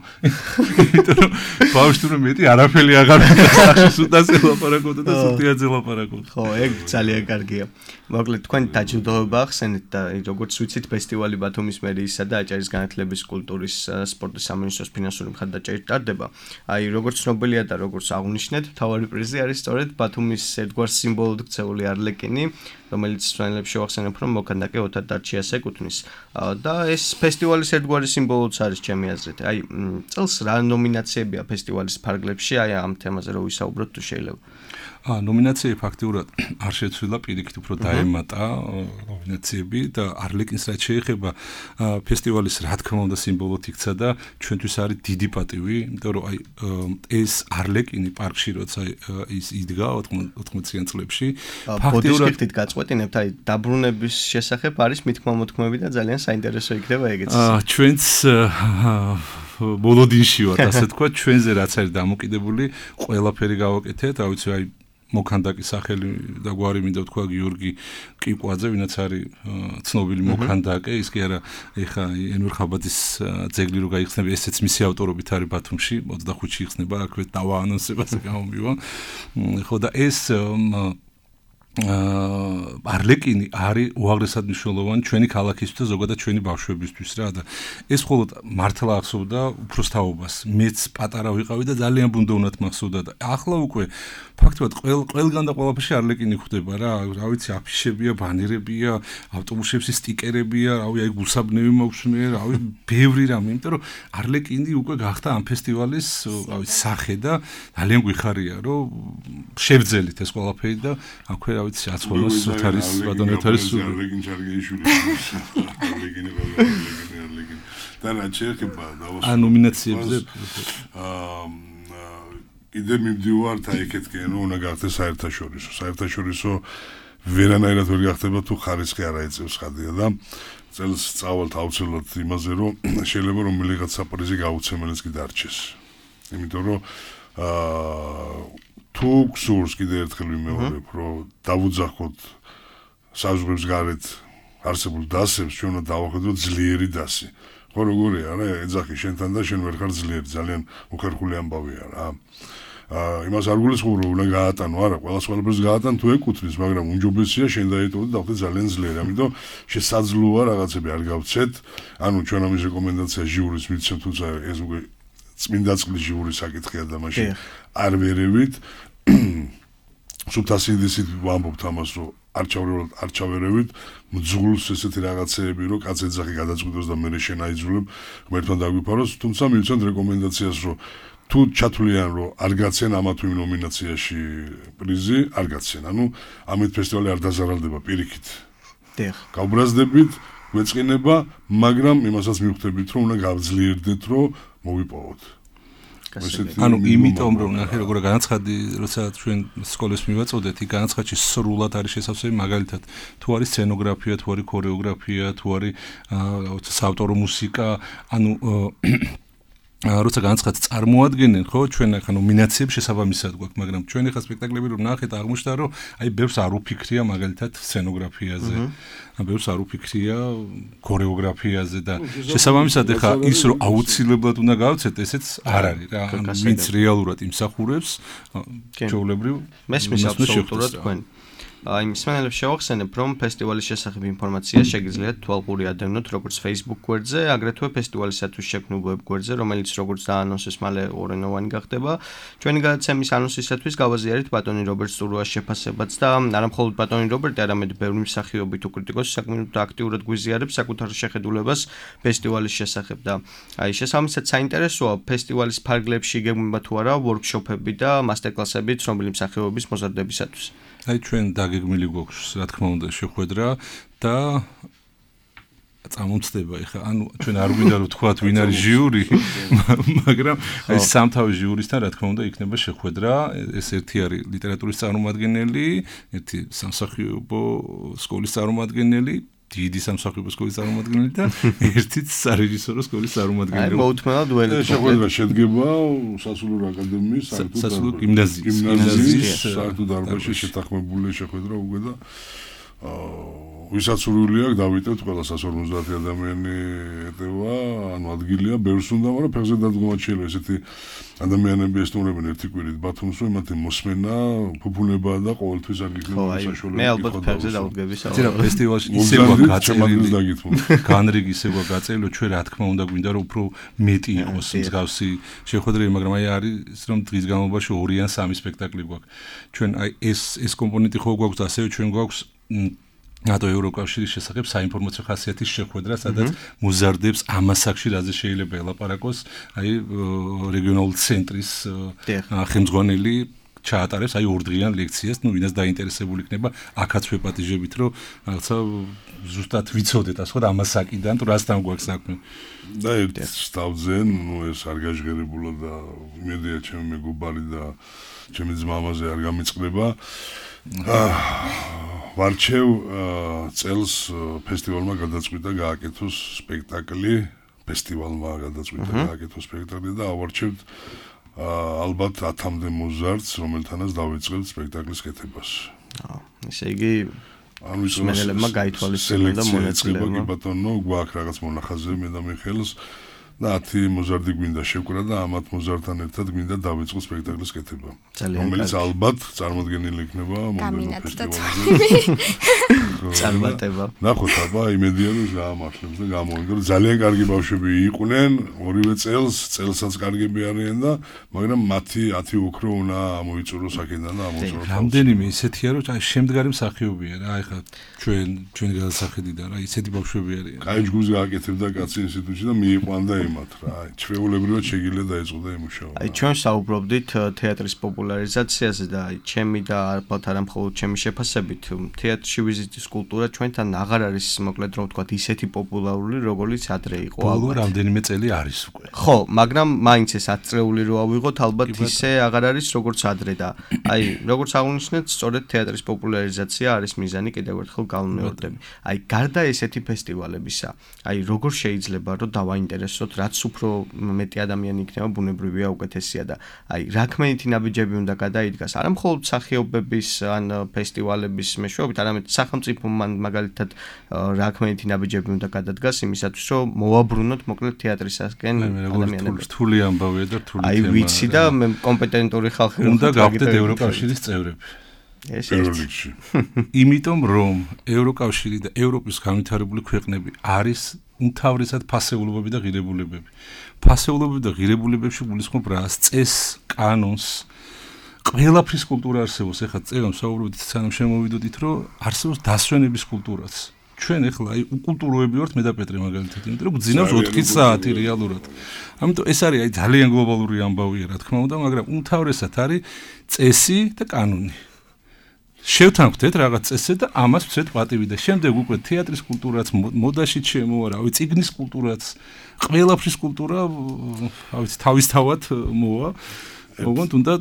იმიტომ რომ ბავშვი თურმე მეტი არაფერი აღარ სახში სუდაზე ლაპარაკობდა და სუტიაძე ლაპარაკობდა ხო ეგ ძალიან კარგია მოკლედ თქვენ დაჯილდოება ახსენეთ და როგორც ვიცით ფესტივალი ბათუმის მერიისა და აჭარის განათლების კულტურის სპორტის სამინისტროს ფინანსური მხარდაჭერით ტარდება აი როგორც ცნობილია და როგორც აღნიშნეთ თავარი პრიზი არის სწორედ ბათუმის ერთგვარ სიმბოლოდ ქცეული არლეკინი რომელიც სვენელებს შევახსენებ რომ მოქანდაკე ოთარ დარჩიას ეკუთვნის და ეს ფესტივალის ერთგვარი სიმბოლოც არის ჩემი აზრით აი წელს რა ნომინაციებია ფესტივალის ფარგლებში აი ამ თემაზე რომ ვისაუბროთ თუ შეიძლება ნომინაციები ფაქტიურად არ შეცვლილა პირიქით უფრო დაემატა ნომინაციები და არლეკინს რაც შეეხება ფესტივალის რა თქმა უნდა სიმბოლოდ იქცა და ჩვენთვის არის დიდი პატივი იმიტომ რომ აი ეს არლეკინი პარკში როცა ის იდგა 80-იან წლებში ფაქტიურად გაწყვეტინებთ აი დაბრუნების შესახებ არის მithmomothkmები და ძალიან საინტერესო იქნება ეგეც ჩვენც ბოლოდინში ვართ ასე თქვა ჩვენზე რაც არის დამოკიდებული ყველაფერი გავაკეთეთ რა ვიცი აი მოქანდაკის სახელი და გვარი მინდა ვთქვა გიორგი კიკვაძე, ვინაც არის ცნობილი მოქანდაკე, ის კი არა ეხა ენვერ ხაბაძის ძეგლი რო გაიხსნება, ესეც მისი ავტორობით არის ბათუმში, 25-ში იხსნება, აქვე დავაანონსებას გამომივა. ხო და ეს არლეკინი არის უაღრესად მნიშვნელოვანი ჩვენი ქალაქისთვის და ზოგადად ჩვენი ბავშვებისთვის რა და ეს მხოლოდ მართლა ახსოვდა უფროსთაობას მეც პატარა ვიყავი და ძალიან ბუნდოვნად მახსოვდა და ახლა უკვე ფაქტობრივად ყველგან და ყველაფერში არლეკინი ხდება რა ვიცი აფიშებია ბანერებია ავტობუსებში სტიკერებია რავი აი გულსაბნევი მოგვსმე რავი ბევრი რამე იმიტომ რომ არლეკინი უკვე გახდა ამ ფესტივალის რავი სახე და ძალიან გვიხარია რომ შევძელით ეს ყველაფერი და აქვე რავი აცხოვოს სუთარის ბატონეთარის არლეკინი ჩარგეიშვილი არლეკინი და რა შეიძლება დავასრულო ა ნომინაციებზე კიდე მივდივართ აი ეკეთკენ რომ უნდა გახდეს საერთაშორისო ვერანაირად ვერ გახდება თუ ხარისხი არ აიწევს ხადია და წელს წავალთ აუცილებლად იმაზე რომ შეიძლება რომ მილიღაც საპრიზი გაუცემელიც კი დარჩეს იმიტომ რომ თუ გსურს კიდე ერთხელ ვიმეორებ რომ დავუძახოთ საზღვრებს გარეთ არსებულ დასებს ჩვენ უნდა დავახედოთ ძლიერი დასი ხო როგორია რა ეძახი შენთან და შენ ვერ ხარ ძლიერი ძალიან უხერხული ამბავია რა იმას არ გულისხმობ რომ უნდა გაატანო არა ყველაფერს გაატან თუ ეკუთვნის მაგრამ უმჯობესია შენ დაეტოვო და დავხდე ძალიან ძლიერი ამიტომ შესაძლოა რაღაცები არ გავცეთ ანუ ჩვენ ამის რეკომენდაცია ჟიურის მიცემ თუმცა ეს უკვე წმინდა წყლის ჟიურის საკითხია და მაშინ არ ვერევით სუბტასიდისით ვამბობთ ამას რომ არ ჩავერევით მძღულს ესეთი რაღაცეები რომ კაც ეძახი გადაწყვიტოს და მე შენ აიძულებ ღმერთთან დაგვიფაროს თუმცა მივცემთ რეკომენდაციას რომ თუ ჩათვლიან რომ არ გაცენ ამა თუ იმ ნომინაციაში პრიზი არ გაცენ ანუ ამით ფესტივალი არ დაზარალდება პირიქით გავბრაზდებით გვეწყინება მაგრამ იმასაც მივხვდებით რომ უნდა გავძლიერდეთ რომ მოვიპოვოთ ანუ იმიტომ რომ ნახე როგორ განაცხადი როცა ჩვენ სკოლის მივაწოდეთ იქ განაცხადში სრულად არის შესაძლებელი მაგალითად თუ არის სცენოგრაფია თუ არის ქორეოგრაფია თუ არის საავტორო მუსიკა ანუ როცა განაცხადს წარმოადგენენ ხო ჩვენ ახლა ნომინაციებს შესაბამისად გვაქვს მაგრამ ჩვენ ახლა სპექტაკლები რომ ნახეთ აღმოჩნდა რომ აი ბევრს არ უფიქრია მაგალითად სცენოგრაფიაზე ბევრს არ უფიქრია ქორეოგრაფიაზე და შესაბამისად ახლა ის რომ აუცილებლად უნდა გავცეთ ესეც არ არის რა ვინც რეალურად იმსახურებს ჩვეულებრივ მესმის აბსოლუტურად თქვენ აი მსმენელებს შევახსენებ რომ ფესტივალის შესახებ ინფორმაცია შეგიძლიათ თვალყური ადევნოთ როგორც Facebook გვერდზე აგრეთვე ფესტივალისათვის შექმნილ web გვერდზე რომელიც როგორც დაანონსეს მალე ორენოვანი გახდება ჩვენი გადაცემის ანონსისათვის გავაზიარეთ ბატონი რობერტ სტურუას შეფასებაც და არა მხოლოდ ბატონი რობერტი არამედ ბევრი მსახიობი თუ კრიტიკოსი საკმაოდ აქტიურად გვიზიარებს საკუთარ შეხედულებას ფესტივალის შესახებ და აი შესაბამისად საინტერესოა ფესტივალის ფარგლებში იგეგმება თუ არა ვორქშოპები და მასტერკლასები ცნობილი მსახიობების მოზარდებისათვის აი ჩვენ დაგეგმილი გვაქვს რა თქმა უნდა შეხვედრა და წამომწდება ეხა ანუ ჩვენ არ გვინდა რომ თქვათ ვინ არის ჟიური მაგრამ აი სამთავის ჟიურისთან რა თქმა უნდა იქნება შეხვედრა ეს ერთი არის ლიტერატურის წარმომადგენელი ერთი სამსახიობო სკოლის წარმომადგენელი დიდი სამსახიობო სკოლის წარმომადგენელი და ერთიც სარეჟისორო სკოლის წარმომადგენელი. აი მოუთმენად ველით. შეხვედრა შედგება სასულიერო აკადემიის სასულიერო გიმნაზიის საერთო დარბაზში შეთანხმებული შეხვედრა უკვე და ვისაც სურვილი აქვს დავიტევთ ყველა 150 ადამიანი ეტევა, ანუ ადგილია ბევრს უნდა, მაგრამ ფეხზე დადგომაც შეიძლება ესეთი ადამიანები ესტუმრებენ ერთი კვირით ბათუმს, რომ იმათი მოსმენა, ფუფუნება და ყოველთვის არ იქნება საშუალება. მე ალბათ ფეხზე დავდგები საერთოდ. ცირა ფესტივალში ისევ გაწეული, განრიგი ისევ გაწეული, ჩვენ რა თქმა უნდა გვინდა რომ უფრო მეტი იყოს მსგავსი შეხვედრები, მაგრამ აი არის რომ დღის განმავლობაში 2 ან 3 სპექტაკლი გვაქვს. ჩვენ აი ეს კომპონენტი ხო გვაქვს და ასევე ჩვენ გვაქვს ნატო ევროკავშირის შესახებ საინფორმაციო ხასიათის შეხვედრა, სადაც მოზარდებს ამასაკში რაზე შეიძლება ელაპარაკოს, აი რეგიონალური ცენტრის ხელმძღვანელი ჩაატარებს აი 2 დღიან ლექციას, ну, ვინაც დაინტერესებული იქნება, აქაც ვეპატიჟებით, რომ რაღაცა ზუსტად ვიცოდეთ, ასე ხო, ამასაკიდან თუ რასთან გვაქვს საქმე. და ერთ სტავძენ, ну, ეს არ გაჟღერებულა და იმედია ჩემი მეგობარი და ჩემი ძმამაზე არ გამიწყდება. ვარჩევ წელს ფესტივალმა გადაწყვიტა გააკეთოს სპექტაკლი, ფესტივალმა გადაწყვიტა გააკეთოს სპექტაკლი და ავარჩევთ ალბათ 10-მდე მოზარდს, რომელთანაც დავიწყებთ სპექტაკლის კეთებას. ესე იგი ანუ მსმენელებმა გაითვალისწინონ და მონაწილეებმა. კი ბატონო, გვაქვს რაღაც მონახაზი მე და მიხეილს და 10 მოზარდი გვინდა შევკრა და ამ 10 მოზარდთან ერთად გვინდა დავიწყო სპექტაკლის კეთება. რომელიც ალბათ წარმოდგენილი იქნება მომდევნო ფესტივალზე. წარმატება. ნახოთ აბა იმედია რომ გაამართლებს და გამოვიდა რომ ძალიან კარგი ბავშვები იყვნენ ორივე წელსაც კარგები არიან და მაგრამ მათი 10 ოქრო უნდა ამოიწუროს აქედან და ამოწუროს. რამდენიმე ისეთია რომ შემდგარი მსახიობია რა ეხლა ჩვენ გადასახედიდან რა ისეთი ბავშვები არიან. კაი ჯგუფს გააკეთებდა კაცი ინსტიტუტში და მიიყვანდა იმათ რა. ჩვეულებრივად შეგიძლია დაეწყო იმ მუშაობა. აი ჩვენ საუბრობდით თეატრის პოპულარიზაციაზე და აი ჩემი და ალბათ არა მხოლოდ ჩემი შეფასებით თეატრში ვიზიტის კულტურა ჩვენთან აღარ არის მოკლედ რომ ვთქვათ ისეთი პოპულარული როგორც ადრე იყო ალბათ. ბოლო რამდენიმე წელი არის უკვე. ხო, მაგრამ მაინც ეს 10 წრეული რო ავიღოთ ალბათ ისე აღარ არის როგორც ადრე და აი როგორც აღნიშნეთ სწორედ თეატრის პოპულარიზაცია არის მიზანი კიდევ ერთხელ გავმეორდები. აი გარდა ესეთი ფესტივალებისა, აი როგორ შეიძლება რომ დავაინტერესოთ რაც უფრო მეტი ადამიანი იქნება ბუნებრივია უკეთესია და აი რა ქმენითი ნაბიჯები უნდა გადაიდგას არა მხოლოდ მსახიობების ან ფესტივალების მეშვეობით, არამედ სახელმწიფო მაგალითად რა ქმენითი ნაბიჯები უნდა გადადგას იმისათვის რომ მოვაბრუნოთ მოკლედ თეატრისაკენ ადამიანებს. რთული ამბავია და რთული თემაა. აი ვიცი და მე კომპეტენტური ხალხი უნდა გავხდეთ ევროკავშირის წევრები. ეს პირველში. იმიტომ რომ ევროკავშირი და ევროპის განვითარებული ქვეყნები არის უმთავრესად ფასეულობები და ღირებულებები. ფასეულობები და ღირებულებებში გულისხმობ რას? წესს, კანონს, ყველაფრის კულტურა არსებობს. ეხლა წერან საუბრობთ სანამ შემოვიდოდით, რომ არსებობს დასვენების კულტურაც. ჩვენ ეხლა აი უკულტუროები ვართ მე და პეტრე მაგალითად, იმიტომ რომ გძინავს 4 საათი რეალურად. ამიტომ ეს არის აი ძალიან გლობალური ამბავია, რა თქმა უნდა, მაგრამ უმთავრესად არის წესი და კანონი. შევთანხმდეთ რაღაც წესზე და ამას ვცეთ პატივი და შემდეგ უკვე თეატრის კულტურაც, მოდაში ჩემოა, რა ვიცი, წიგნის კულტურაც, ყველაფრის კულტურა, რა ვიცი, თავისთავად მოვა. ოღონდ უნდა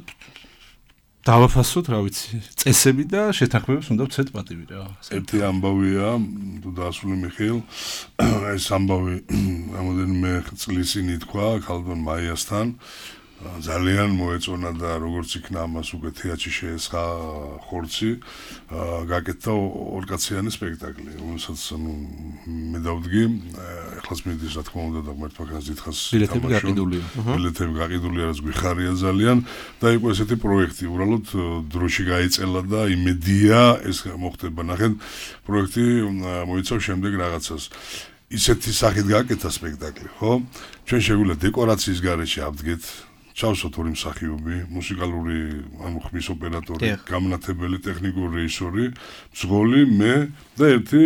დავაფასოთ, რა ვიცი, წესები და შეთანხმებებს უნდა ვცეთ პატივი რა. ერთი ამბავია, თუ დაასრულე მიხეილ, ეს ამბავი რამოდენიმე წლის წინ ითქვა ქალბატონ მაიასთან. ძალიან მოეწონა და როგორც იქნა ამას უკვე თეატრში შეესხა ხორცი, გაკეთდა ორკაციანი სპექტაკლი, რომელსაც მე დავდგი, ეხლაც მიდის რა თქმა უნდა და ღმერთმა ხანს დიდხანს ბილეთები გაყიდულია. ბილეთები გაყიდულია, რაც გვიხარია ძალიან და იყო ესეთი პროექტი, უბრალოდ დროში გაიწელა და იმედია ეს მოხდება. ნახეთ, პროექტი მოიცავს შემდეგ რაღაცას. ისეთი სახით გააკეთა სპექტაკლი, ხო? ჩვენ შეგვიძლია დეკორაციის გარეშე ავდგეთ ჩავსოთ ორი მსახიობი, მუსიკალური ანუ ხმის ოპერატორი, გამნათებელი ტექნიკური რეჟისორი, მსგოლი, მე და ერთი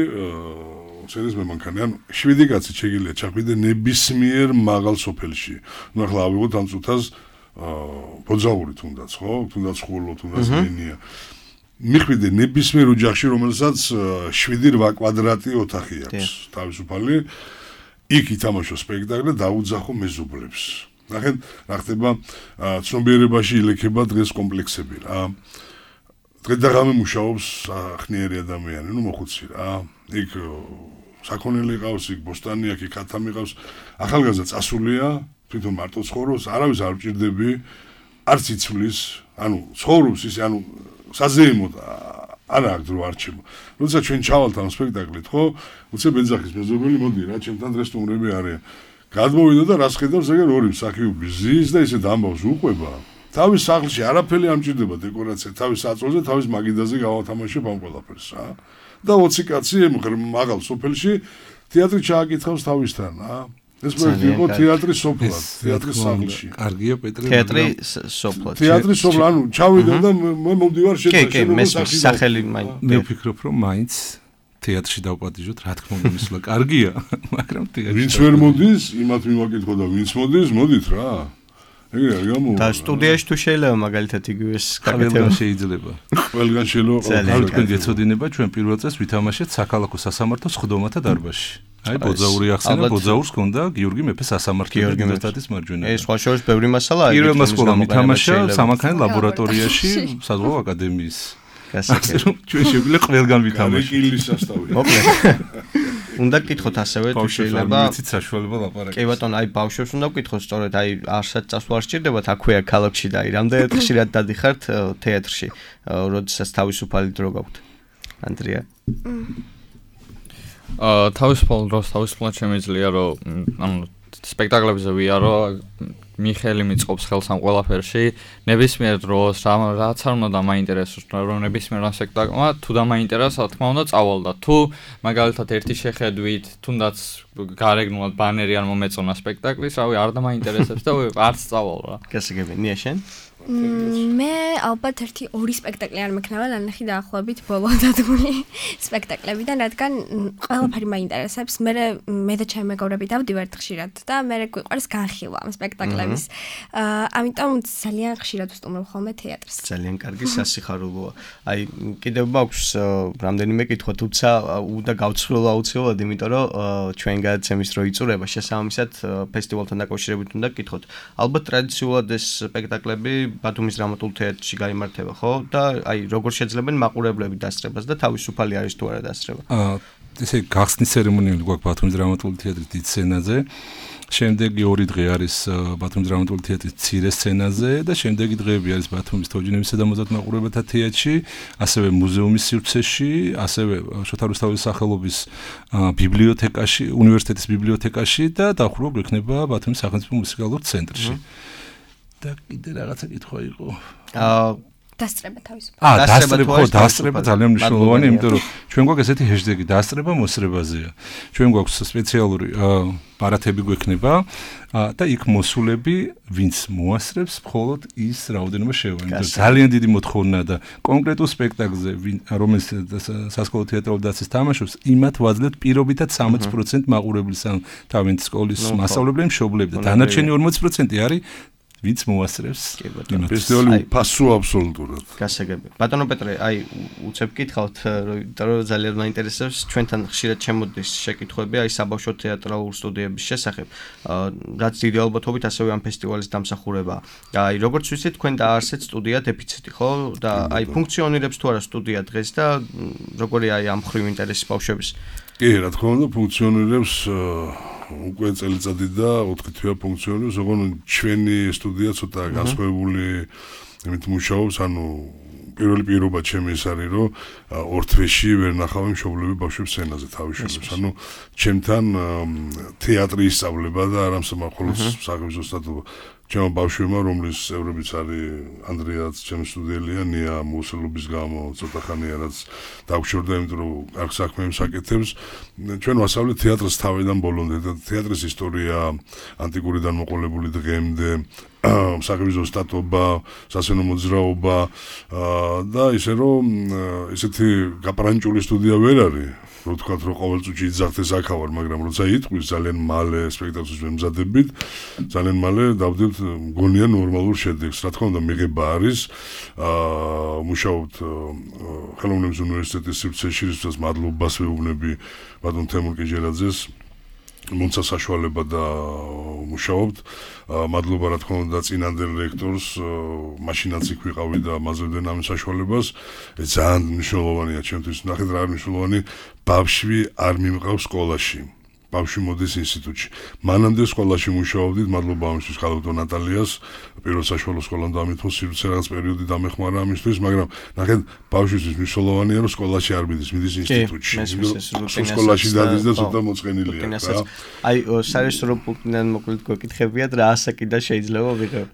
სცენის მემანქანე. ანუ 7 კაცი შეგიძლია ჩახვიდე ნებისმიერ მაღალ სოფელში. ნუ ახლა ავიღოთ ამ წუთას ბოძაური თუნდაც, ხო? თუნდაც ხულო, თუნდაც ლინია. მიხვიდე ნებისმიერ ოჯახში, რომელსაც 7-8 კვადრატი ოთახი აქვს, თავისუფალი. იქ ითამაშო სპექტაკლი და დაუძახო მეზობლებს. ნახეთ, რა ხდება ცნობიერებაში ილექება დღეს კომპლექსები რა. დღე და ღამე მუშაობს ახნიერი ადამიანი, ნუ მოხუცი რა. იქ საქონელი ყავს, იქ ბოსტანი აქვს, იქ ათამი ყავს. ახალგაზრდა წასულია, თვითონ მარტო ცხოვრობს, არავის არ მჭირდები, არც იცვლის, ანუ ცხოვრობს ის, ანუ საზეიმოდ არა აქ დრო არჩება. როცა ჩვენ ჩავალთ ამ სპექტაკლით, ხო? უცებ ეძახის მეზობელი მოდი რა, ჩემთან დღეს სტუმრები არიან. გადმოვიდა და რას ხედავს ეგერ ორი მსახიობი ზის და ისე დამბავს უყვება. თავის სახლში არაფერი არ მჭირდება დეკორაცია, თავის საწოლზე, თავის მაგიდაზე გავათამაშებ ამ ყველაფერს რა. და 20 კაცი მაღალ სოფელში თეატრი ჩააკითხავს თავისთან რა. ეს პროექტი იყო თეატრის სოფლად, თეატრის სახლში. კარგია პეტრე. თეატრი სოფლად. თეატრის სოფლად, ანუ ჩავიდა და მე მომდივარ შეთანხმებას სახელი მაინც. მე ვფიქრობ რომ მაინც თეატრში დავპატიჟოთ, რა თქმა უნდა, მისვლა კარგია, მაგრამ თეატრში ვინც ვერ მოდის, იმათ მივაკითხო და ვინც მოდის, მოდით რა. ეგრე არ გამოვა. და სტუდიაში თუ შეიძლება მაგალითად იგივეს გაკეთება შეიძლება. ყველგან შეიძლება. თქვენ გეცოდინება ჩვენ პირველ წელს ვითამაშეთ საქართველოს სასამართლო სხდომათა დარბაზში. აი ბოძაური ახსენა, ბოძაურს ჰქონდა გიორგი მეფე სასამართლო უნივერსიტეტის მარჯვენა. ეს სხვა შორის ბევრი მასალაა. პირველმა სკოლამ ვითამაშა სამანქანე ლაბორატორიაში საზღვაო აკადემიის. ასე რომ ჩვენ შეგვიძლია ყველგან ვითამაშოთ. კილის სასტავი. მოკლედ უნდა გკითხოთ ასევე თუ შეიძლება ვიცით საშუალება ლაპარაკი. კი ბატონო, აი ბავშვებს უნდა გკითხოთ სწორედ, აი არსად წასვლა არ სჭირდებათ აქვეა ქალაქში და აი რამდენად ხშირად დადიხართ თეატრში, როდესაც თავისუფალი დრო გაქვთ. ანდრია. თავისუფალ დროს თავისუფლად შემიძლია რომ ანუ სპექტაკლებზე ვიარო მიხელი მიწყობს ხელს ამ ყველაფერში ნებისმიერ დროს რაც არ უნდა დამაინტერესოს რომ ნებისმიერ სპექტაკლმა თუ დამაინტერესა თქმა უნდა წავალ და თუ მაგალითად ერთი შეხედვით თუნდაც გარეგნულად ბანერი არ მომეწონა სპექტაკლის რავი არ დამაინტერესებს და არც წავალ რა გასაგები ნია შენ მე ალბათ ერთი ორი სპექტაკლი არ მექნება ნანახი დაახლოებით ბოლო დადგმული სპექტაკლებიდან რადგან ყველაფერი მაინტერესებს მე და ჩემი მეგობრები დავდივართ ხშირად და მე გვიყვარს განხილვა ამ სპექტაკლების ამიტომ ძალიან ხშირად ვსტუმრობ ხოლმე თეატრს ძალიან კარგი სასიხარულოა აი კიდევ მაქვს რამდენიმე კითხვა თუმცა უნდა გავცხრილო აუცილებლად იმიტომ რომ ჩვენ გადაცემის დრო იწურება შესაბამისად ფესტივალთან დაკავშირებით უნდა გკითხოთ ალბათ ტრადიციულად ეს სპექტაკლები ბათუმის დრამატულ თეატრში გაიმართება, ხო? და აი როგორ შეძლებენ მაყურებლები დასწრებას და თავისუფალი არის თუ არა დასწრება? ესე გახსნის ცერემონიალი გვაქვს ბათუმის დრამატული თეატრის დიდ სცენაზე. შემდეგი 2 დღე არის ბათუმის დრამატული თეატრის მცირე სცენაზე და შემდეგი დღეები არის ბათუმის თოჯინებისა და მოზარდ მაყურებელთა თეატრში, ასევე მუზეუმის სივრცეში, ასევე შოთა რუსთაველის სახელობის ბიბლიოთეკაში, უნივერსიტეტის ბიბლიოთეკაში და დაახლოება გვექნება ბათუმის სახელმწიფო მუსიკალურ ცენტრში. და კიდე რაღაცა კითხვა იყო. დასწრება თავისუფალ. დასწრება ძალიან მნიშვნელოვანია, იმიტომ რომ ჩვენ გვაქვს ესეთი ჰეშტეგი დასწრება მოსრებაზეა. ჩვენ გვაქვს სპეციალური პარათები გვექნება და იქ მოსულები, ვინც მოასწრებს, მხოლოდ ის რაოდენობა შევა. ძალიან დიდი მოთხოვნაა და კონკრეტულ სპექტაკლზე, რომელიც სასკოლო თეატრალურ დაცვის თამაშობს, იმათ ვაძლევთ პირობითად 60% მაყურებლის, ანუ თავენთ სკოლის მასწავლებლები, მშობლები და დანარჩენი 40% არის ვინც მოასწრებს ფესტივალი ფასოა აბსოლუტურად. გასაგები. ბატონო პეტრე, აი უცებ გითხავთ, რომ ძალიან მაინტერესებს ჩვენთან ხშირად შემოდის შეკითხვები აი საბავშვო თეატრალურ სტუდიების შესახებ. რაც დიდი ალბათობით ასევე ამ ფესტივალის დამსახურებაა. აი როგორც ვიცით, თქვენ დაარსეთ სტუდია დეფიციტი, ხო? და აი ფუნქციონირებს თუ არა სტუდია დღეს და როგორი აი ამ ხრივ ინტერესი ბავშვების? კი, რა თქმა უნდა, ფუნქციონირებს უკვე წელიწადი და 4 თვეა ფუნქციონირებს, ოღონდ ჩვენი სტუდია ცოტა განსხვავებული იმით მუშაობს, ანუ პირველი პირობა ჩემი ის არის, რომ 2 თვეში ვერ ნახავი მშობლები ბავშვებს სცენაზე თავისუფლებს. ანუ ჩემთან თეატრი ისწავლება და არა მხოლოდ საგებჟო სტატუა. ჩემო ბავშვებმა, რომლის წევრებიც არის ანდრეაც, ჩემი სტუდიელია, ნია მუსულობის გამო ცოტა ხანია რაც დაგვშორდა, იმიტომ რომ კარგ საქმეებს აკეთებს. ჩვენ ვასწავლეთ თეატრს თავიდან ბოლომდე და თეატრის ისტორია ანტიკურიდან მოყოლებული დღემდე საგებჟო სტატობა, სასცენო მოძრაობა და ისე რომ ესეთი გაპრანჭული სტუდია ვერ არის. რო თქვათ რომ ყოველ წუთში იძახდეს აქავარ, მაგრამ როცა იტყვის ძალიან მალე სპექტაკლს ვემზადებით, ძალიან მალე დავდივთ მგონია ნორმალურ შედეგს. რა თქმა უნდა, მიღება არის. მუშაობთ ხელოვნების უნივერსიტეტის სივრცეში, რითაც მადლობას ვეუბნები ბატონ თემურ კიჟერაძეს. მონცა საშუალება და მუშაობთ. მადლობა რა თქმა უნდა წინანდელ რექტორს, მაშინაც იქ ვიყავი და მაძლევდნენ ამ საშუალებას. ძალიან მნიშვნელოვანია ჩემთვის, ნახეთ რა არის მნიშვნელოვანი, ბავშვი არ მიმყავს სკოლაში. ბავშვი მოდის ინსტიტუტში. მანამდე სკოლაში მუშაობდით, მადლობა ამისთვის ხალხო ნატალიას, პირველ საშუალო სკოლამ დამითო სივრცე რაღაც პერიოდი დამეხმარა ამისთვის, მაგრამ ნახეთ ბავშვისთვის მნიშვნელოვანია რომ სკოლაში არ მიდის, მიდის ინსტიტუტში. სკოლაში დადის და ცოტა მოწყენილია. აი სარესტორო პუნქტიდან მოკლედ გვეკითხებიათ რა ასაკიდან შეიძლება ვიღებ.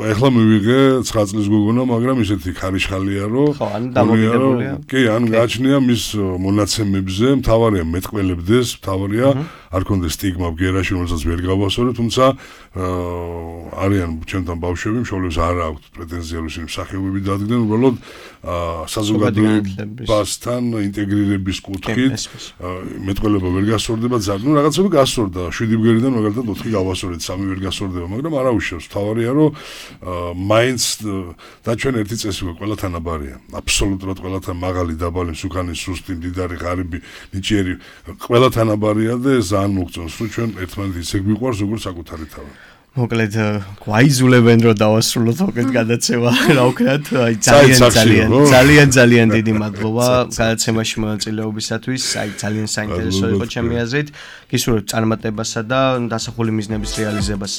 ეხლა მივიღე 9 წლის გოგონა, მაგრამ ისეთი ხარიშხალია რომ ხო, ანუ დამოკიდებულია. კი, ანუ გააჩნია მის მონაცემებზე, მთავარია მეტყველებდეს, მთავარია არ კონდეს სტიგმა ბგერაში, რომელსაც ვერ გავასწორებ, თუმცა არიან ჩემთან ბავშვები, მშობლებს არ აქვთ პრეტენზია რომ ისინი მსახიობები დადგნენ, უბრალოდ საზოგადოებასთან ინტეგრირების კუთხით მეტყველება ვერ გასწორდება ძალიან. ნუ რაღაცები გასწორდა, 7 ბგერიდან მაგალითად 4 გავასწორეთ, 3 ვერ გასწორდება, მაგრამ არ აუშავს. მთავარია რომ მაინც და ჩვენ ერთი წესი გვაქვს, ყველა თანაბარია. აბსოლუტურად ყველა მაღალი, დაბალი, მსუქანი, სუსტი, მდიდარი, ღარიბი, ნიჭიერი, ყველა თანაბარია და ძალიან მოგწონს, რომ ჩვენ ერთმანეთ ისე გვიყვარს, როგორც საკუთარი თავი. მოკლედ გვაიზულებენ რომ დავასრულოთ მოკლედ გადაცემა რა ვქნათ აი ძალიან დიდი მადლობა გადაცემაში მონაწილეობისათვის აი ძალიან საინტერესო იყო ჩემი აზრით გისურვებთ წარმატებასა და დასახული მიზნების რეალიზებას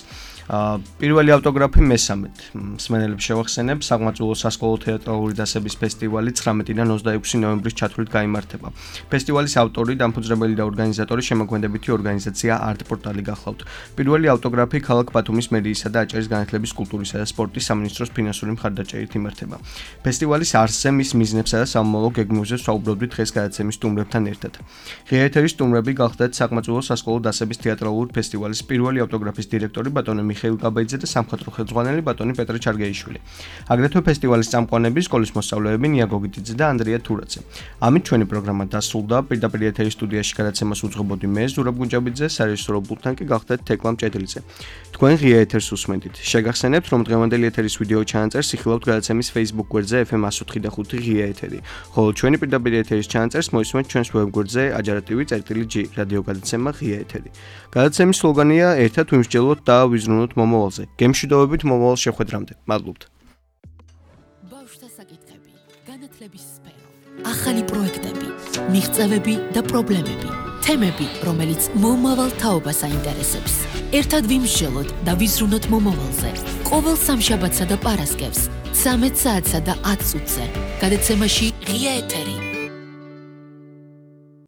პირველი ავტოგრაფი მესამედ მსმენელებს შევახსენებ საგმაწვილო სასკოლო თეატრალური დასების ფესტივალი 19-დან 26 ნოემბრის ჩათვლით გაიმართება ფესტივალის ავტორი დამფუძნებელი და ორგანიზატორი შემოქმედებითი ორგანიზაცია არტ-პორტალი გახლავთ პირველი ავტოგრაფი ქალაქ ბათუმის მერიისა და აჭარის განათლების კულტურისა და სპორტის სამინისტროს ფინანსური მხარდაჭერით იმართება ფესტივალის არსზე მის მიზნებსა და სამომავლო გეგმებზე ვსაუბრობთ დღეს გადაცემის სტუმრებთან ერთად ღია ეთერის სტუმრები გახლდათ საგმაწვილო სასკოლო დასების თეატრალური ფესტივალის პირველი ავტოგრაფის დირექტორი ბატონი მიხეილ კაბაიძე და სამხატვრო ხელმძღვანელი ბატონი პეტრე ჩარგეიშვილი. აგრეთვე ფესტივალის წამყვანები, სკოლის მოსწავლეები ნია გოგიტიძე და ანდრია თურაძე. ამით ჩვენი პროგრამა დასრულდა. პირდაპირ ეთერის სტუდიაში გადაცემას უძღვებოდი მე, ზურაბ გუნჯაბიძე, სარეჟისორო პულტთან კი გახლდათ თეკლამ ჭედლიძე. თქვენ ღია ეთერს უსმენთ. შეგახსენებთ, რომ დღევანდელი ეთერის ვიდეო ჩანაწერს იხილავთ გადაცემის Facebook გვერდზე FM 104.5 ღია ეთერი. ხოლო ჩვენი პირდაპირ ეთერის ჩანაწერს მოისმენთ ჩვენს web გვერდზე ajarativi.g რადიო გადაცემა ღია ეთერი. გადაცემის სლოგანია ერთად ვიმსჯელოთ და ვიზრუნოთ მომავალზე. გემშვიდობებით მომავალ შეხვედრამდე. მადლობთ. ბავშვთა საკითხები, განათლების სფერო, ახალი პროექტები, მიღწევები და პრობლემები, თემები, რომელიც მომავალ თაობას აინტერესებს. ერთად ვიმსჯელოთ და ვიზრუნოთ მომავალზე. ყოველ სამშაბათსა და პარასკევს 13 საათსა და 10 წუთზე. გადაცემაში ღია ეთერი.